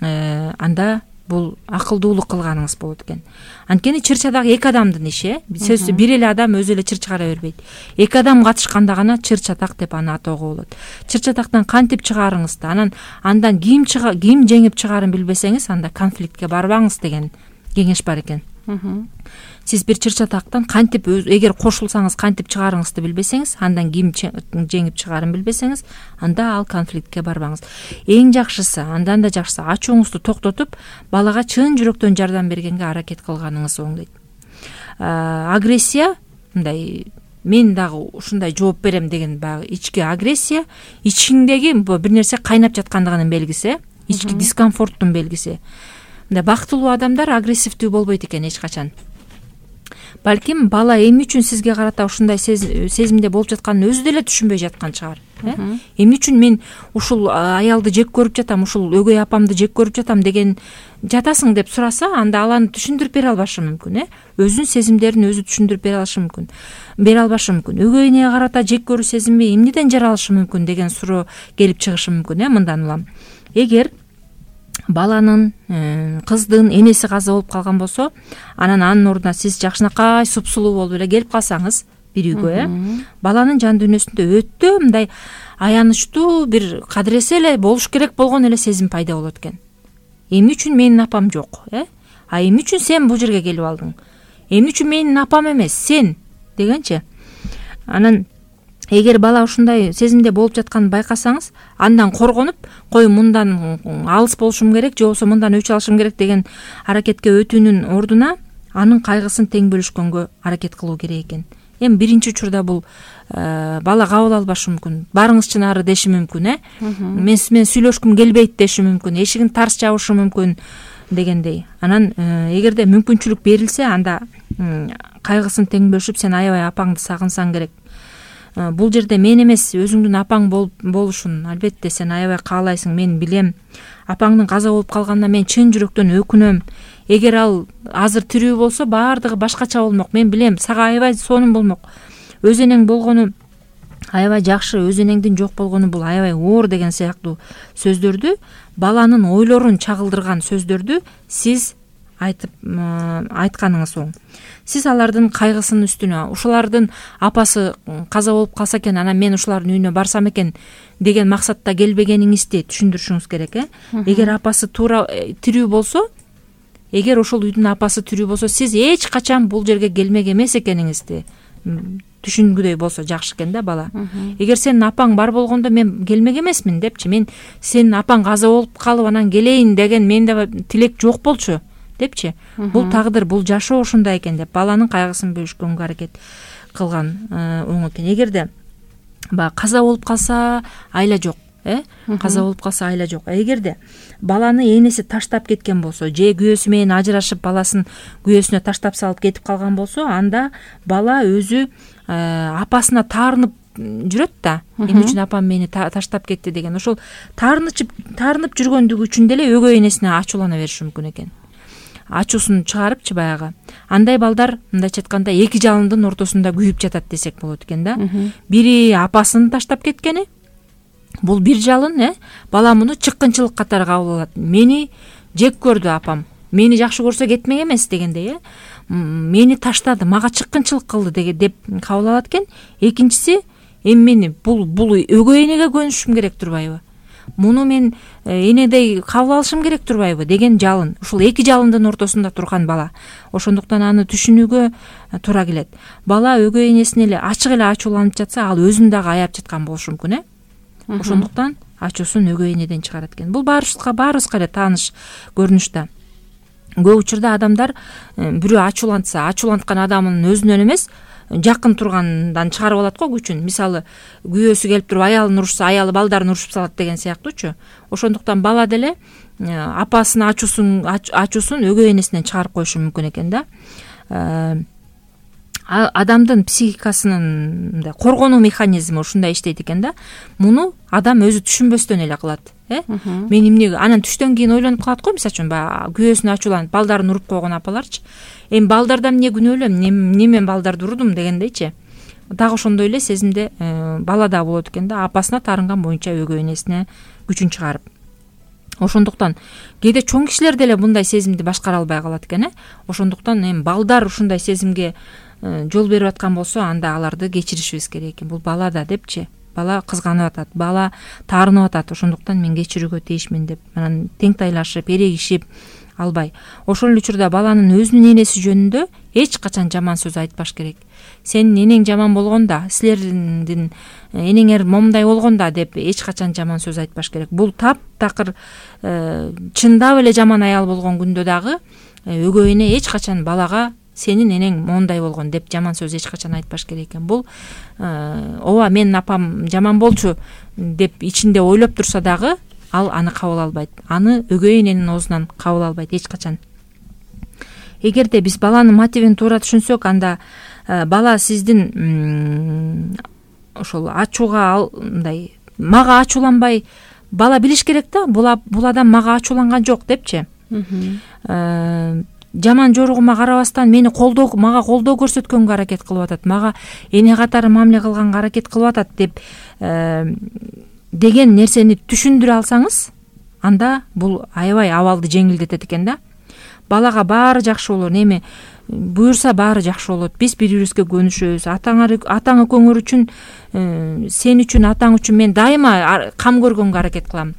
Speaker 2: анда бул акылдуулук кылганыңыз болот экен. Анткени чырча дагы эки адамдын иши, сөзсүз бир эле адам өзү эле чыр чыгара бербейт. Эки адам катышканда гана чыр чатак деп аны атоого болот. Чыр чатактан кантип чыгарыңызды, анан андан ким чыга, ким жеңип чыгаарын билбесеңиз, анда конфликтке барбаңыз деген кеңеш бар экен. Сиз бир чыр чатактан кантип, эгер кошулсаңыз кантип чыгарыңызды билбесеңиз, андан ким жеңип чыгаарын билбесеңиз, анда ал конфликтке барбаңыз. Эң жакшысы, андан да жакшысы ачууңузду токтотуп, балага чын жүрөктөн жардам бергенге аракет кылганыңыз оңдойт. Агрессия, мындай мен дагы ушундай жооп берем деген баягы ички агрессия, ичиңдеги бир нерсе кайнап жаткандыгынын белгиси, ички дискомфорттун белгиси. Мындай бактылуу адамдар агрессивдүү болбойт экен эч качан. Балким бала эмне үчүн сизге карата ушундай сезимде болуп жатканын өзү деле түшүнбөй жаткан чыгар. Эмне үчүн мен ушул аялды жек көрүп жатам, ушул өгөй апамды жек көрүп жатам деген жатасың деп сураса, анда ал аны түшүндүрүп бере албашы мүмкүн, э. Өзүнүн сезимдерин өзү түшүндүрүп бере алышы мүмкүн. Бере албашы мүмкүн. Өгөй энеге карата жек көрүү сезими эмнеден жаралышы мүмкүн деген суроо келип чыгышы мүмкүн, э, мындан улам. Эгер баланын, кыздын энеси каза болуп калган болсо, анан анын ордуна сиз жакшынакай супсулуу болуп эле келип калсаңыз бир үйгө, э, баланын жан дүйнөсүндө өтө мындай аянычтуу бир кадыресе эле болуш керек болгон эле сезим пайда болот экен. Эмне үчүн менин апам жок, э? А эмне үчүн сен бул жерге келип алдың? Эмне үчүн менин апам эмес, сен дегенчи. Анан эгер бала ушундай сезимде болуп жатканын байкасаңыз, андан коргонуп, кой мындан алыс болушум керек, же болбосо мындан өч алышым керек деген аракетке өтүүнүн ордуна, анын кайгысын тең бөлүшкөнгө аракет кылуу керек экен. Эми биринчи учурда бул бала кабыл албашы мүмкүн, барыңызчы нары деши мүмкүн, э мен сиз менен сүйлөшкүм келбейт деши мүмкүн, эшигин тарс жабышы мүмкүн дегендей. Анан эгерде мүмкүнчүлүк берилсе, анда кайгысын тең бөлүшүп сен аябай апаңды сагынсаң керек. Бул жерде мен эмес, өзүңдүн апаң болушун албетте сен аябай каалайсың, мен билем. Апаңдын каза болуп калганына мен чын жүрөктөн өкүнөм. Эгер ал азыр тирүү болсо баардыгы башкача болмок. Мен билем, сага аябай сонун болмок. Өз энең болгону аябай жакшы, өз энеңдин жок болгону бул аябай оор деген сыяктуу сөздөрдү, баланын ойлорун чагылдырган сөздөрдү сиз айтып айтканыңыз оң. Сиз алардын кайгысынын үстүнө, ушулардын апасы каза болуп калса экен, анан мен ушулардын үйүнө барсам экен деген максатта келбегениңизди түшүндүрүшүңүз керек, э. Эгер апасы туура тирүү болсо, эгер ошол үйдүн апасы тирүү болсо, сиз эч качан бул жерге келмек эмес экениңизди түшүнгүдөй болсо жакшы экен да бала. Эгер сенин апаң бар болгондо мен келмек эмесмин депчи, мен сенин апаң каза болуп калып анан келейин деген менде тилек жок болчу депчи. Бул тагдыр, бул жашоо ушундай экен деп баланын кайгысын бөлүшкөнгө аракет кылган оң экен. Эгерде баягы каза болуп калса айла жок, э каза болуп калса айла жок. Эгерде баланы энеси таштап кеткен болсо, же күйөөсү менен ажырашып баласын күйөөсүнө таштап салып кетип калган болсо, анда бала өзү апасына таарынып жүрөт да. Эмне үчүн апам мени таштап кетти деген ошол таарынып таарынып жүргөндүгү үчүн деле өгөй энесине ачуулана бериши мүмкүн экен. Ачуусун чыгарыпчы баягы. Андай балдар мындайча айтканда эки жалындын ортосунда күйүп жатат десек болот экен да. Бири апасын таштап кеткени, бул бир жалын, э бала муну чыккынчылык катары кабыл алат. Мени жек көрдү апам, мени жакшы көрсө кетмек эмес дегендей, э мени таштады, мага чыккынчылык кылды деп кабыл алат экен. Экинчиси, эми мени бул бул өгөй энеге көнүшүм керек турбайбы? Муну мен энедей кабыл алышым керек турбайбы деген жалын. Ушул эки жалындын ортосунда турган бала. Ошондуктан аны түшүнүүгө туура келет. Бала өгөй энесине эле ачык эле ачууланып жатса, ал өзүн дагы аяп жаткан болушу мүмкүн, э ошондуктан ачуусун өгөй энеден чыгарат экен. Бул баарыбызга баарыбызга эле тааныш көрүнүш да. Көп учурда адамдар бирөө ачуулантса, ачууланткан адамын өзүнөн эмес, жакын тургандан чыгарып алат го күчүн. Мисалы, күйөөсү келип туруп аялын урушса, аялы балдарын урушуп салат деген сыяктуучу. Ошондуктан бала деле апасынын ачуусун ачуусун өгөй энесинен чыгарып коюшу мүмкүн экен да. Адамдын психикасынын мындай коргонуу механизми ушундай иштейт экен да. Муну адам өзү түшүнбөстөн эле кылат, э мен эмне анан түштөн кийин ойлонуп калат го, мисалы үчүн баягы күйөөсүнө ачууланып балдарын уруп койгон апаларчы. Эми балдардан эмне күнөөлүү, эмне мен балдарды урдум дегендейчи. Дагы ошондой эле сезимде бала да болот экен да, апасына таарынган боюнча өгөй энесине күчүн чыгарып. Ошондуктан кээде чоң кишилер деле мындай сезимди башкара албай калат экен, э ошондуктан эми балдар ушундай сезимге жол берип аткан болсо, анда аларды кечиришибиз керек экен. Бул бала да депчи. Бала кызганып атат, бала таарынып атат, ошондуктан мен кечирүүгө тийишмин деп анан тең тайлашып, эрегишип албай. Ошол эле учурда баланын өзүнүн энеси жөнүндө эч качан жаман сөз айтпаш керек. Сенин энең жаман болгонда, силердин энеңер момундай болгонда деп эч качан жаман сөз айтпаш керек. Бул таптакыр чындап эле жаман аял болгон күндө дагы өгөй эне эч качан балага сенин энең моундай болгон деп жаман сөз эч качан айтпаш керек экен. Бул ооба менин апам жаман болчу деп ичинде ойлоп турса дагы ал аны кабыл албайт. Аны өгөй эненин оозунан кабыл албайт эч качан. Эгерде биз баланын мотивин туура түшүнсөк, анда бала сиздин ошол ачууга мындай мага ачууланбай, бала билиш керек да, бул адам мага ачууланган жок депчи. Жаман жоругума карабастан мени колдоо мага колдоо көрсөткөнгө аракет кылып атат, мага эне катары мамиле кылганга аракет кылып атат деп деген нерсени түшүндүрө алсаңыз, анда бул аябай абалды жеңилдетет экен да. Балага баары жакшы болот, эми буюрса баары жакшы болот. Биз бири-бирибизге көнүшөбүз. Атаңар атаң экөөңөр үчүн, сен үчүн, атаң үчүн мен дайыма кам көргөнгө аракет кылам.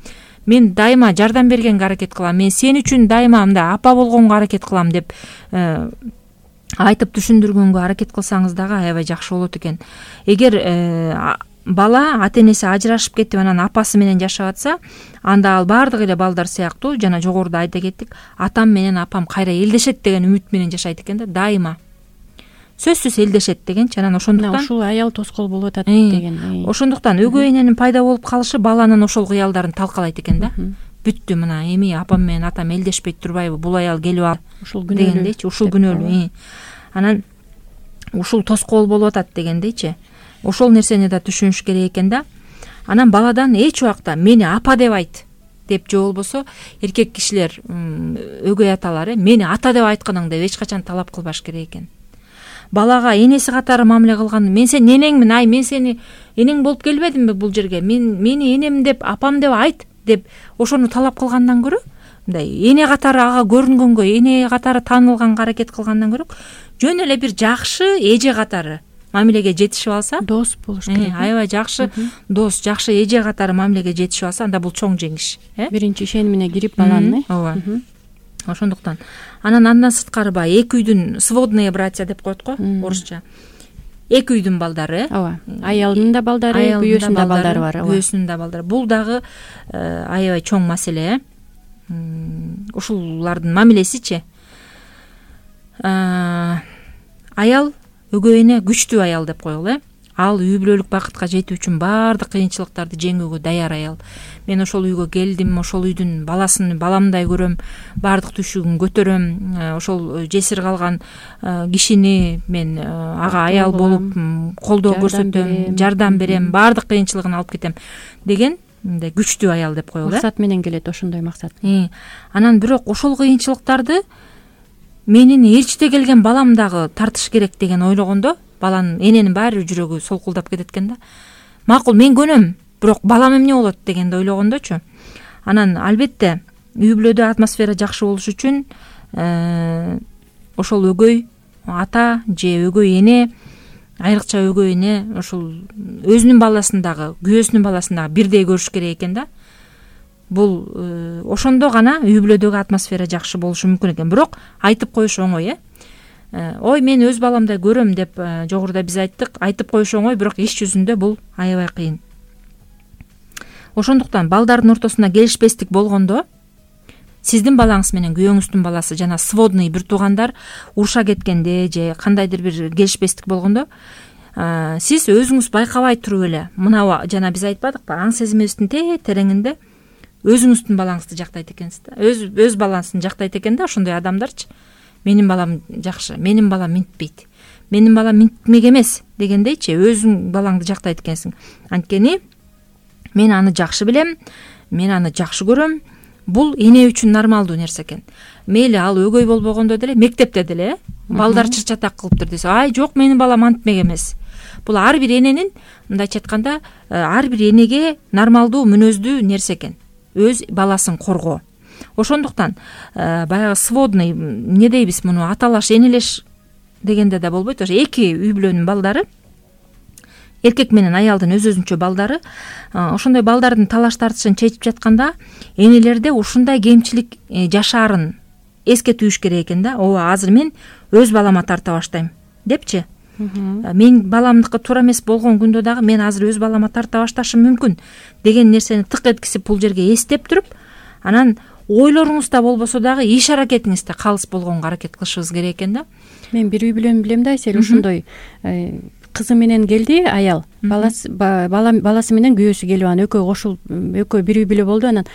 Speaker 2: Мен дайыма жардам бергенге аракет кылам. Мен сен үчүн дайыма мындай апа болгонго аракет кылам деп айтып түшүндүргөнгө аракет кылсаңыз дагы аябай жакшы болот экен. Эгер бала ата энеси ажырашып кетип анан апасы менен жашап атса, анда ал баардык эле балдар сыяктуу жана жогоруда айта кеттик, атам менен апам кайра элдешет деген үмүт менен жашайт экен да, дайыма. Сөзсүз элдешет дегенчи. Анан ошондуктан
Speaker 3: ушул аял тоскоол болуп атат деген.
Speaker 2: Ошондуктан өгөй эненин пайда болуп калышы баланын ошол кыялдарын талкалайт экен да. Бүттү, мына эми апам менен атам элдешпей турбайбы, бул аял келип ал
Speaker 3: ушул
Speaker 2: дегендейчи, ушул күнөөлүү. Анан ушул тоскоол болуп атат дегендейчи. Ошол нерсени да түшүнүш керек экен да. Анан баладан эч убакта мени апа деп айт деп, же болбосо эркек кишилер, өгөй аталар мени ата деп айтканың деп эч качан талап кылбаш керек экен. Балага энеси катары мамиле кылган, мен сен энеңмин, ай мен сени энең болуп келбедимби бул жерге, мен мени энем деп, апам деп айт деп ошону талап кылгандан көрө, мындай эне катары ага көрүнгөнгө, эне катары таанылганга аракет кылгандан көрө, жөн эле бир жакшы эже катары мамилеге жетишип алса,
Speaker 3: дос болуш керек.
Speaker 2: Аябай жакшы дос, жакшы эже катары мамилеге жетишип алса, анда бул чоң жеңиш.
Speaker 3: Биринчи ишенимине кирип баланын.
Speaker 2: Ооба. Ошондуктан анан андан сырткары баягы эки үйдүн сводные братья деп коет го орусча. Эки үйдүн балдары.
Speaker 3: Ооба. Аялдын да балдары, күйөөсүнүн да балдары бар.
Speaker 2: Күйөөсүнүн да балдары. Бул дагы аябай чоң маселе. Ушулардын мамилесичи. Аял өгөй эне күчтүү аял деп коелу, э. Ал үй бүлөлүк бакытка жетүү үчүн баардык кыйынчылыктарды жеңүүгө даяр аял. Мен ошол үйгө келдим, ошол үйдүн баласын баламдай көрөм, баардык түшүгүн көтөрөм, ошол жесир калган кишини мен ага аял болуп колдоо көрсөтөм, жардам берем, баардык кыйынчылыгын алып кетем деген мындай күчтүү аял деп коелу.
Speaker 3: Максат менен келет, ошондой максат.
Speaker 2: Анан бирок ошол кыйынчылыктарды менин ээрчите келген балам дагы тартыш керек деген ойлогондо, баланын эненин баары бир жүрөгү солкулдап кетет экен да. Макул, мен көнөм, бирок балам эмне болот дегенди ойлогондочу. Анан албетте үй бүлөдө атмосфера жакшы болуш үчүн ошол өгөй ата же өгөй эне, айрыкча өгөй эне ошол өзүнүн баласын дагы, күйөөсүнүн баласын дагы бирдей көрүш керек экен да. Бул ошондо гана үй бүлөдөгү атмосфера жакшы болушу мүмкүн экен. Бирок айтып коюш оңой, э. Ой, мен өз баламдай көрөм деп жогоруда биз айттык. Айтып коюш оңой, бирок иш жүзүндө бул аябай кыйын. Ошондуктан балдардын ортосунда келишпестик болгондо, сиздин балаңыз менен күйөөңүздүн баласы жана сводный бир туугандар уруша кеткенде же кандайдыр бир келишпестик болгондо, сиз өзүңүз байкабай туруп эле, мына жана биз айтпадыкпы, аң сезимибиздин тереңинде өзүңүздүн балаңызды жактайт экенсиз да. Өз өз баласын жактайт экен да ошондой адамдарчы. Менин балам жакшы, менин балам минтпейт, менин балам минтмек эмес дегендейчи, өзүң балаңды жактайт экенсиң. Анткени мен аны жакшы билем, мен аны жакшы көрөм. Бул эне үчүн нормалдуу нерсе экен. Мейли ал өгөй болбогондо деле, мектепте деле балдар чырчатак кылыптыр десе, ай жок, менин балам антмек эмес. Бул ар бир эненин, мындайча айтканда, ар бир энеге нормалдуу мүнөздүү нерсе экен. Өз баласын коргоо. Ошондуктан баягы сводный, эмне дейбиз муну, аталаш, энелеш дегенде да болбойт. Ошо эки үй бүлөнүн балдары, эркек менен аялдын өз-өзүнчө балдары, ошондой балдардын талаш тартышын чечип жатканда энелерде ушундай кемчилик жашаарын эске түйүш керек экен да. Ооба, азыр мен өз балама тарта баштайм депчи. Мен баламдыкы туура эмес болгон күндө дагы мен азыр өз балама тарта башташым мүмкүн деген нерсени тык эткизип бул жерге эстеп туруп, анан ойлоруңузда болбосо дагы иш аракетиңизде калыс болгонго аракет кылышыбыз керек экен да.
Speaker 3: Мен бир үй бүлөнү билем да, Айсел, ошондой кызы менен келди аял, баласы баласы менен күйөөсү келип, анан экөө кошул, экөө бир үй бүлө болду. Анан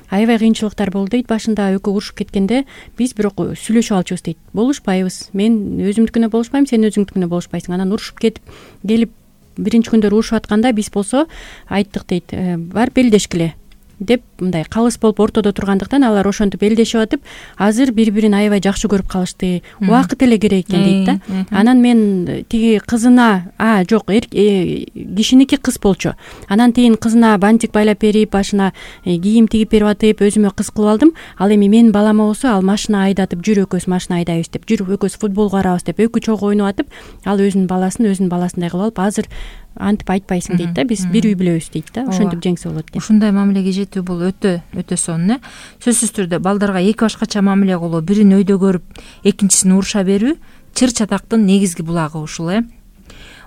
Speaker 3: аябай кыйынчылыктар болду дейт. Башында экөө урушуп кеткенде биз бирок сүйлөшүп алчубуз дейт. Болушпайбыз. Мен өзүмдүкүнө болушпайм, сен өзүңдүкүнө болушпайсың. Анан урушуп кетип, келип биринчи күндөр урушуп атканда биз болсо айттык дейт, барып белдешкиле деп, мындай калыс болуп ортодо тургандыктан алар ошентип белдешип атып, азыр бири-бирин аябай жакшы көрүп калышты. Убакыт эле керек экен дейт да. Анан мен тиги кызына, а жок, кишиники кыз болчу. Анан тигин кызына бантик байлап берип, башына кийим тигип берип атып, өзүмө кыз кылып алдым. Ал эми менин балама болсо, ал машина айдатып, жүр экөөбүз машина айдайбыз деп, жүр экөөбүз футбол карабыз деп, экөө чогуу ойноп атып, ал өзүнүн баласын өзүнүн баласындай кылып алып, азыр антип айтпайсың дейт да, биз бир үй бүлөбүз дейт да. Ошентип жеңсе болот экен.
Speaker 2: Ушундай мамилеге жетүү бул өтө өтө сонун, э. Сөзсүз түрдө балдарга эки башкача мамиле кылуу, бирин өйдө көрүп, экинчисин уруша берүү чыр чатактын негизги булагы ушул, э.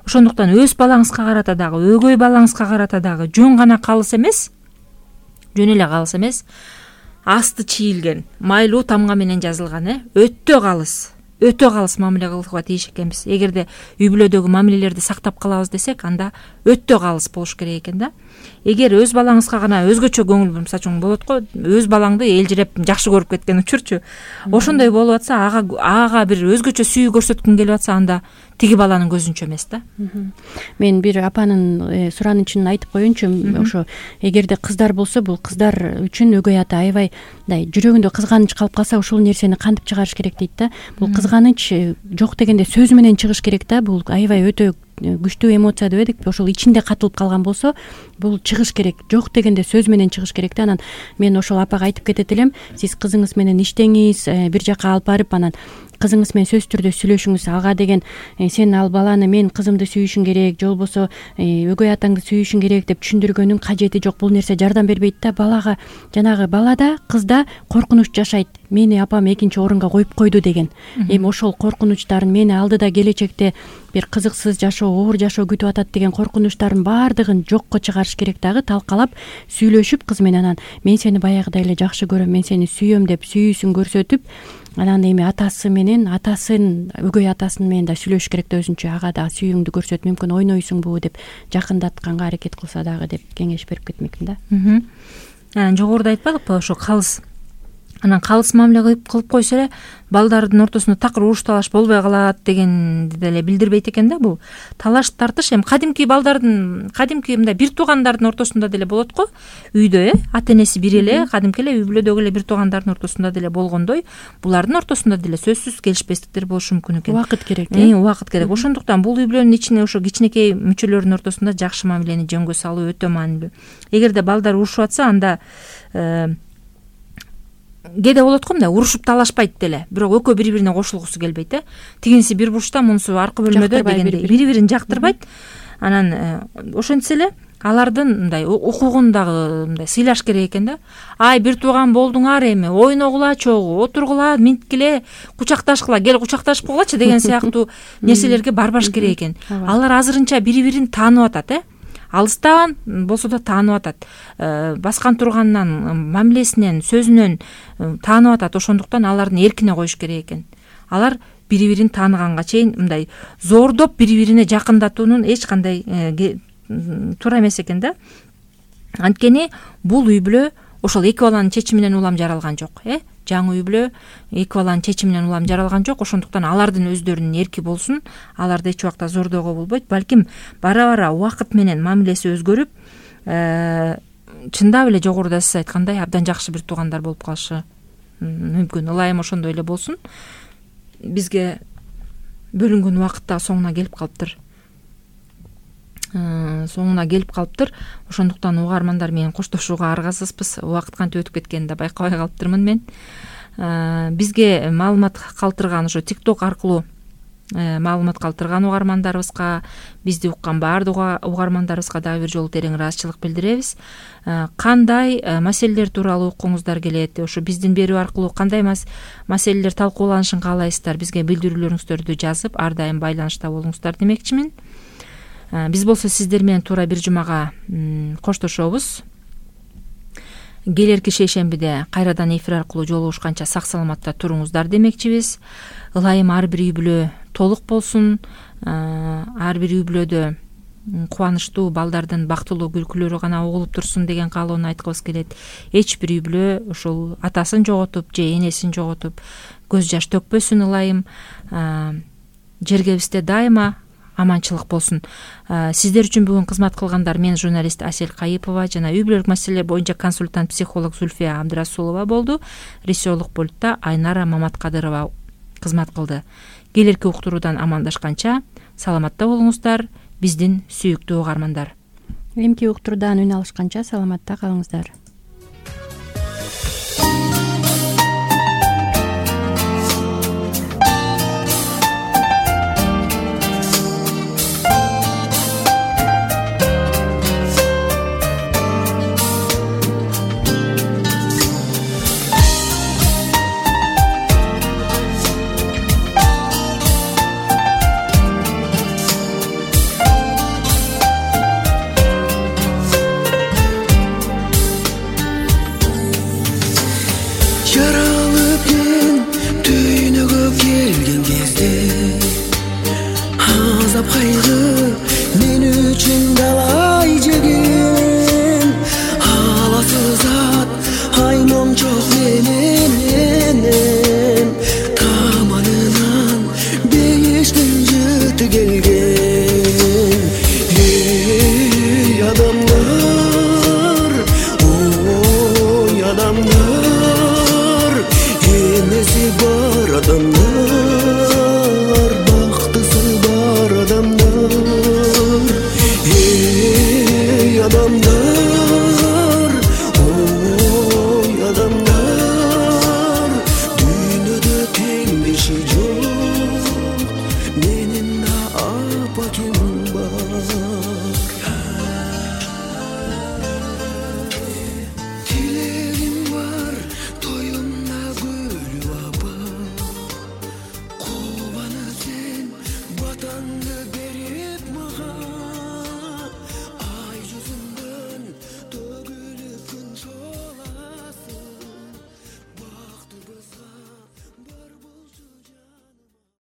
Speaker 2: ошондуктан өз балаңызга карата дагы, өгөй балаңызга карата дагы жөн гана калыс эмес, жөн эле калыс эмес, асты чийилген майлуу тамга менен жазылган э өтө калыс, өтө калыс мамиле кылууга тийиш экенбиз. Эгерде үй бүлөдөгү мамилелерди сактап калабыз десек, анда өтө калыс болуш керек экен да. Эгер өз балаңызга гана өзгөчө көңүл, мисалы үчүн болот го, өз балаңды элжиреп жакшы көрүп кеткен учурчу, ошондой болуп атса, ага ага бир өзгөчө сүйүү көрсөткүң келип атса, анда тиги баланын көзүнчө эмес да.
Speaker 3: Мен бир апанын суранычын айтып коеюнчу. Ошо эгерде кыздар болсо, бул кыздар үчүн өгөй ата аябай мындай жүрөгүндө кызганыч калып калса, ушул нерсени кантип чыгарыш керек дейт да. Бул кызганыч жок дегенде сөз менен чыгыш керек да. Бул аябай өтө күчтүү эмоция дебедикпи? Ошол ичинде катылып калган болсо, бул чыгыш керек. Жок дегенде сөз менен чыгыш керек да. Анан мен ошол апага айтып кетет элем, сиз кызыңыз менен иштеңиз, бир жака алып барып, анан кызыңыз менен сөзсүз түрдө сүйлөшүңүз. Ага деген сен ал баланы, мен кызымды сүйүшүң керек, же болбосо өгөй атаңды сүйүшүң керек деп түшүндүргөнүн кажети жок. Бул нерсе жардам бербейт да. Балага, жанагы балада, кызда коркунуч жашайт. Мени апам экинчи орунга коюп койду деген. Эми ошол коркунучтарын, мени алдыда келечекте бир кызыксыз жашоо, оор жашоо күтүп атат деген коркунучтардын баардыгын жокко чыгарыш керек дагы. Талкалап, сүйлөшүп кыз менен, анан мен сени баягыдай эле жакшы көрөм, мен сени сүйөм деп сүйүүсүн көрсөтүп, анан эми атасы менен, атасын, өгөй атасын менен да сүйлөшүш керек да өзүнчө. Ага да сүйүүңдү көрсөт, мүмкүн ойнойсуңбу деп жакындатканга аракет кылса дагы деп кеңеш берип кетмекмин да.
Speaker 2: Анан жогоруда айтпадыкпы, ошо калыс. Анан калыс мамиле кылып койсо эле балдардын ортосунда такыр уруш талаш болбой калат дегенди деле билдирбейт экен да. Бул талаш тартыш эми кадимки балдардын, кадимки мындай бир туугандардын ортосунда деле болот го. Үйдө э ата энеси бир эле, кадимки эле үй бүлөдөгү эле бир туугандардын ортосунда деле болгондой, булардын ортосунда деле сөзсүз келишпестиктер болушу мүмкүн экен.
Speaker 3: Убакыт керек э.
Speaker 2: Убакыт керек. Ошондуктан бул үй бүлөнүн ичине ошо кичинекей мүчөлөрдүн ортосунда жакшы мамилени жөнгө салуу өтө маанилүү. Эгерде балдар урушуп атса, анда кээде болот го, мындай урушуп талашпайт деле, бирок экөө бири бирине кошулгусу келбейт э. Тигинси бир бурчта, мунусу аркы бөлмөдө дегендей бири бирин жактырбайт. Анан ошентсе эле алардын мындай укугун дагы мындай сыйлаш керек экен да. Ай, бир тууган болдуңар, эми ойногула чогуу, отургула, минткиле, кучакташкыла, кел кучакташып койгулачы деген сыяктуу нерселерге барбаш керек экен. Алар азырынча бири бирин таанып атат э. Алыстан болсо да таанып атат. Баскан турганынан, мамилесинен, сөзүнөн таанып атат. Ошондуктан алардын эркине коюш керек экен. Алар бири бирин тааныганга чейин мындай зордоп бири бирине жакындатуунун эч кандай туура эмес экен да. Анткени бул үй бүлө ошол эки баланын чечиминен улам жаралган жок э. Жаңы үй бүлө эки баланын чечиминен улам жаралган жок. Ошондуктан алардын өздөрүнүн эрки болсун. Аларды эч убакта зордоого болбойт. Балким бара-бара убакыт менен мамилеси өзгөрүп, чындап эле жогоруда сиз айткандай абдан жакшы бир туугандар болуп калышы мүмкүн. Ылайым ошондой эле болсун. Бизге бөлүнгөн убакыт да соңуна келип калыптыр. соңуна келип калыптыр. Ошондуктан угармандар менен коштошууга аргасызбыз. Убакыт кантип өтүп кеткенин да байкабай калыптырмын мен. Бизге маалымат калтырган, ошо TikTok аркылуу маалымат калтырган угармандарыбызга, бизди уккан баардык угармандарыбызга дагы бир жолу терең ыраазычылык билдиребиз. Кандай маселелер тууралуу уккуңуздар келет, ошо биздин берүү аркылуу кандай маселелер талкууланышын каалайсыздар, бизге билдирүүлөрүңүздөрдү жазып, ар дайым байланышта болуңуздар демекчимин. Биз болсо сиздер менен туура бир жумага коштошобуз. Келерки шейшембиде кайрадан эфир аркылуу жолугушканча сак саламатта туруңуздар демекчибиз. Ылайым ар бир үй бүлө толук болсун. Ар бир үй бүлөдө кубанычтуу балдардын бактылуу күлкүлөрү гана угулуп турсун деген каалоону айткыбыз келет. Эч бир үй бүлө ошол атасын жоготуп же энесин жоготуп көз жаш төкпөсүн ылайым. Жергебизде дайыма аманчылык болсун. Сиздер үчүн бүгүн кызмат кылгандар мен журналист Асель Кайыпова жана үй бүлөлүк маселелер боюнча консультант психолог Зульфия Абдрасулова болду. Режиссерлук пультта Айнара Маматкадырова кызмат кылды. Келерки уктуруудан амандашканча саламатта болуңуздар, биздин сүйүктүү угармандар.
Speaker 3: Эмки уктуруудан үн алышканча саламатта калыңыздар.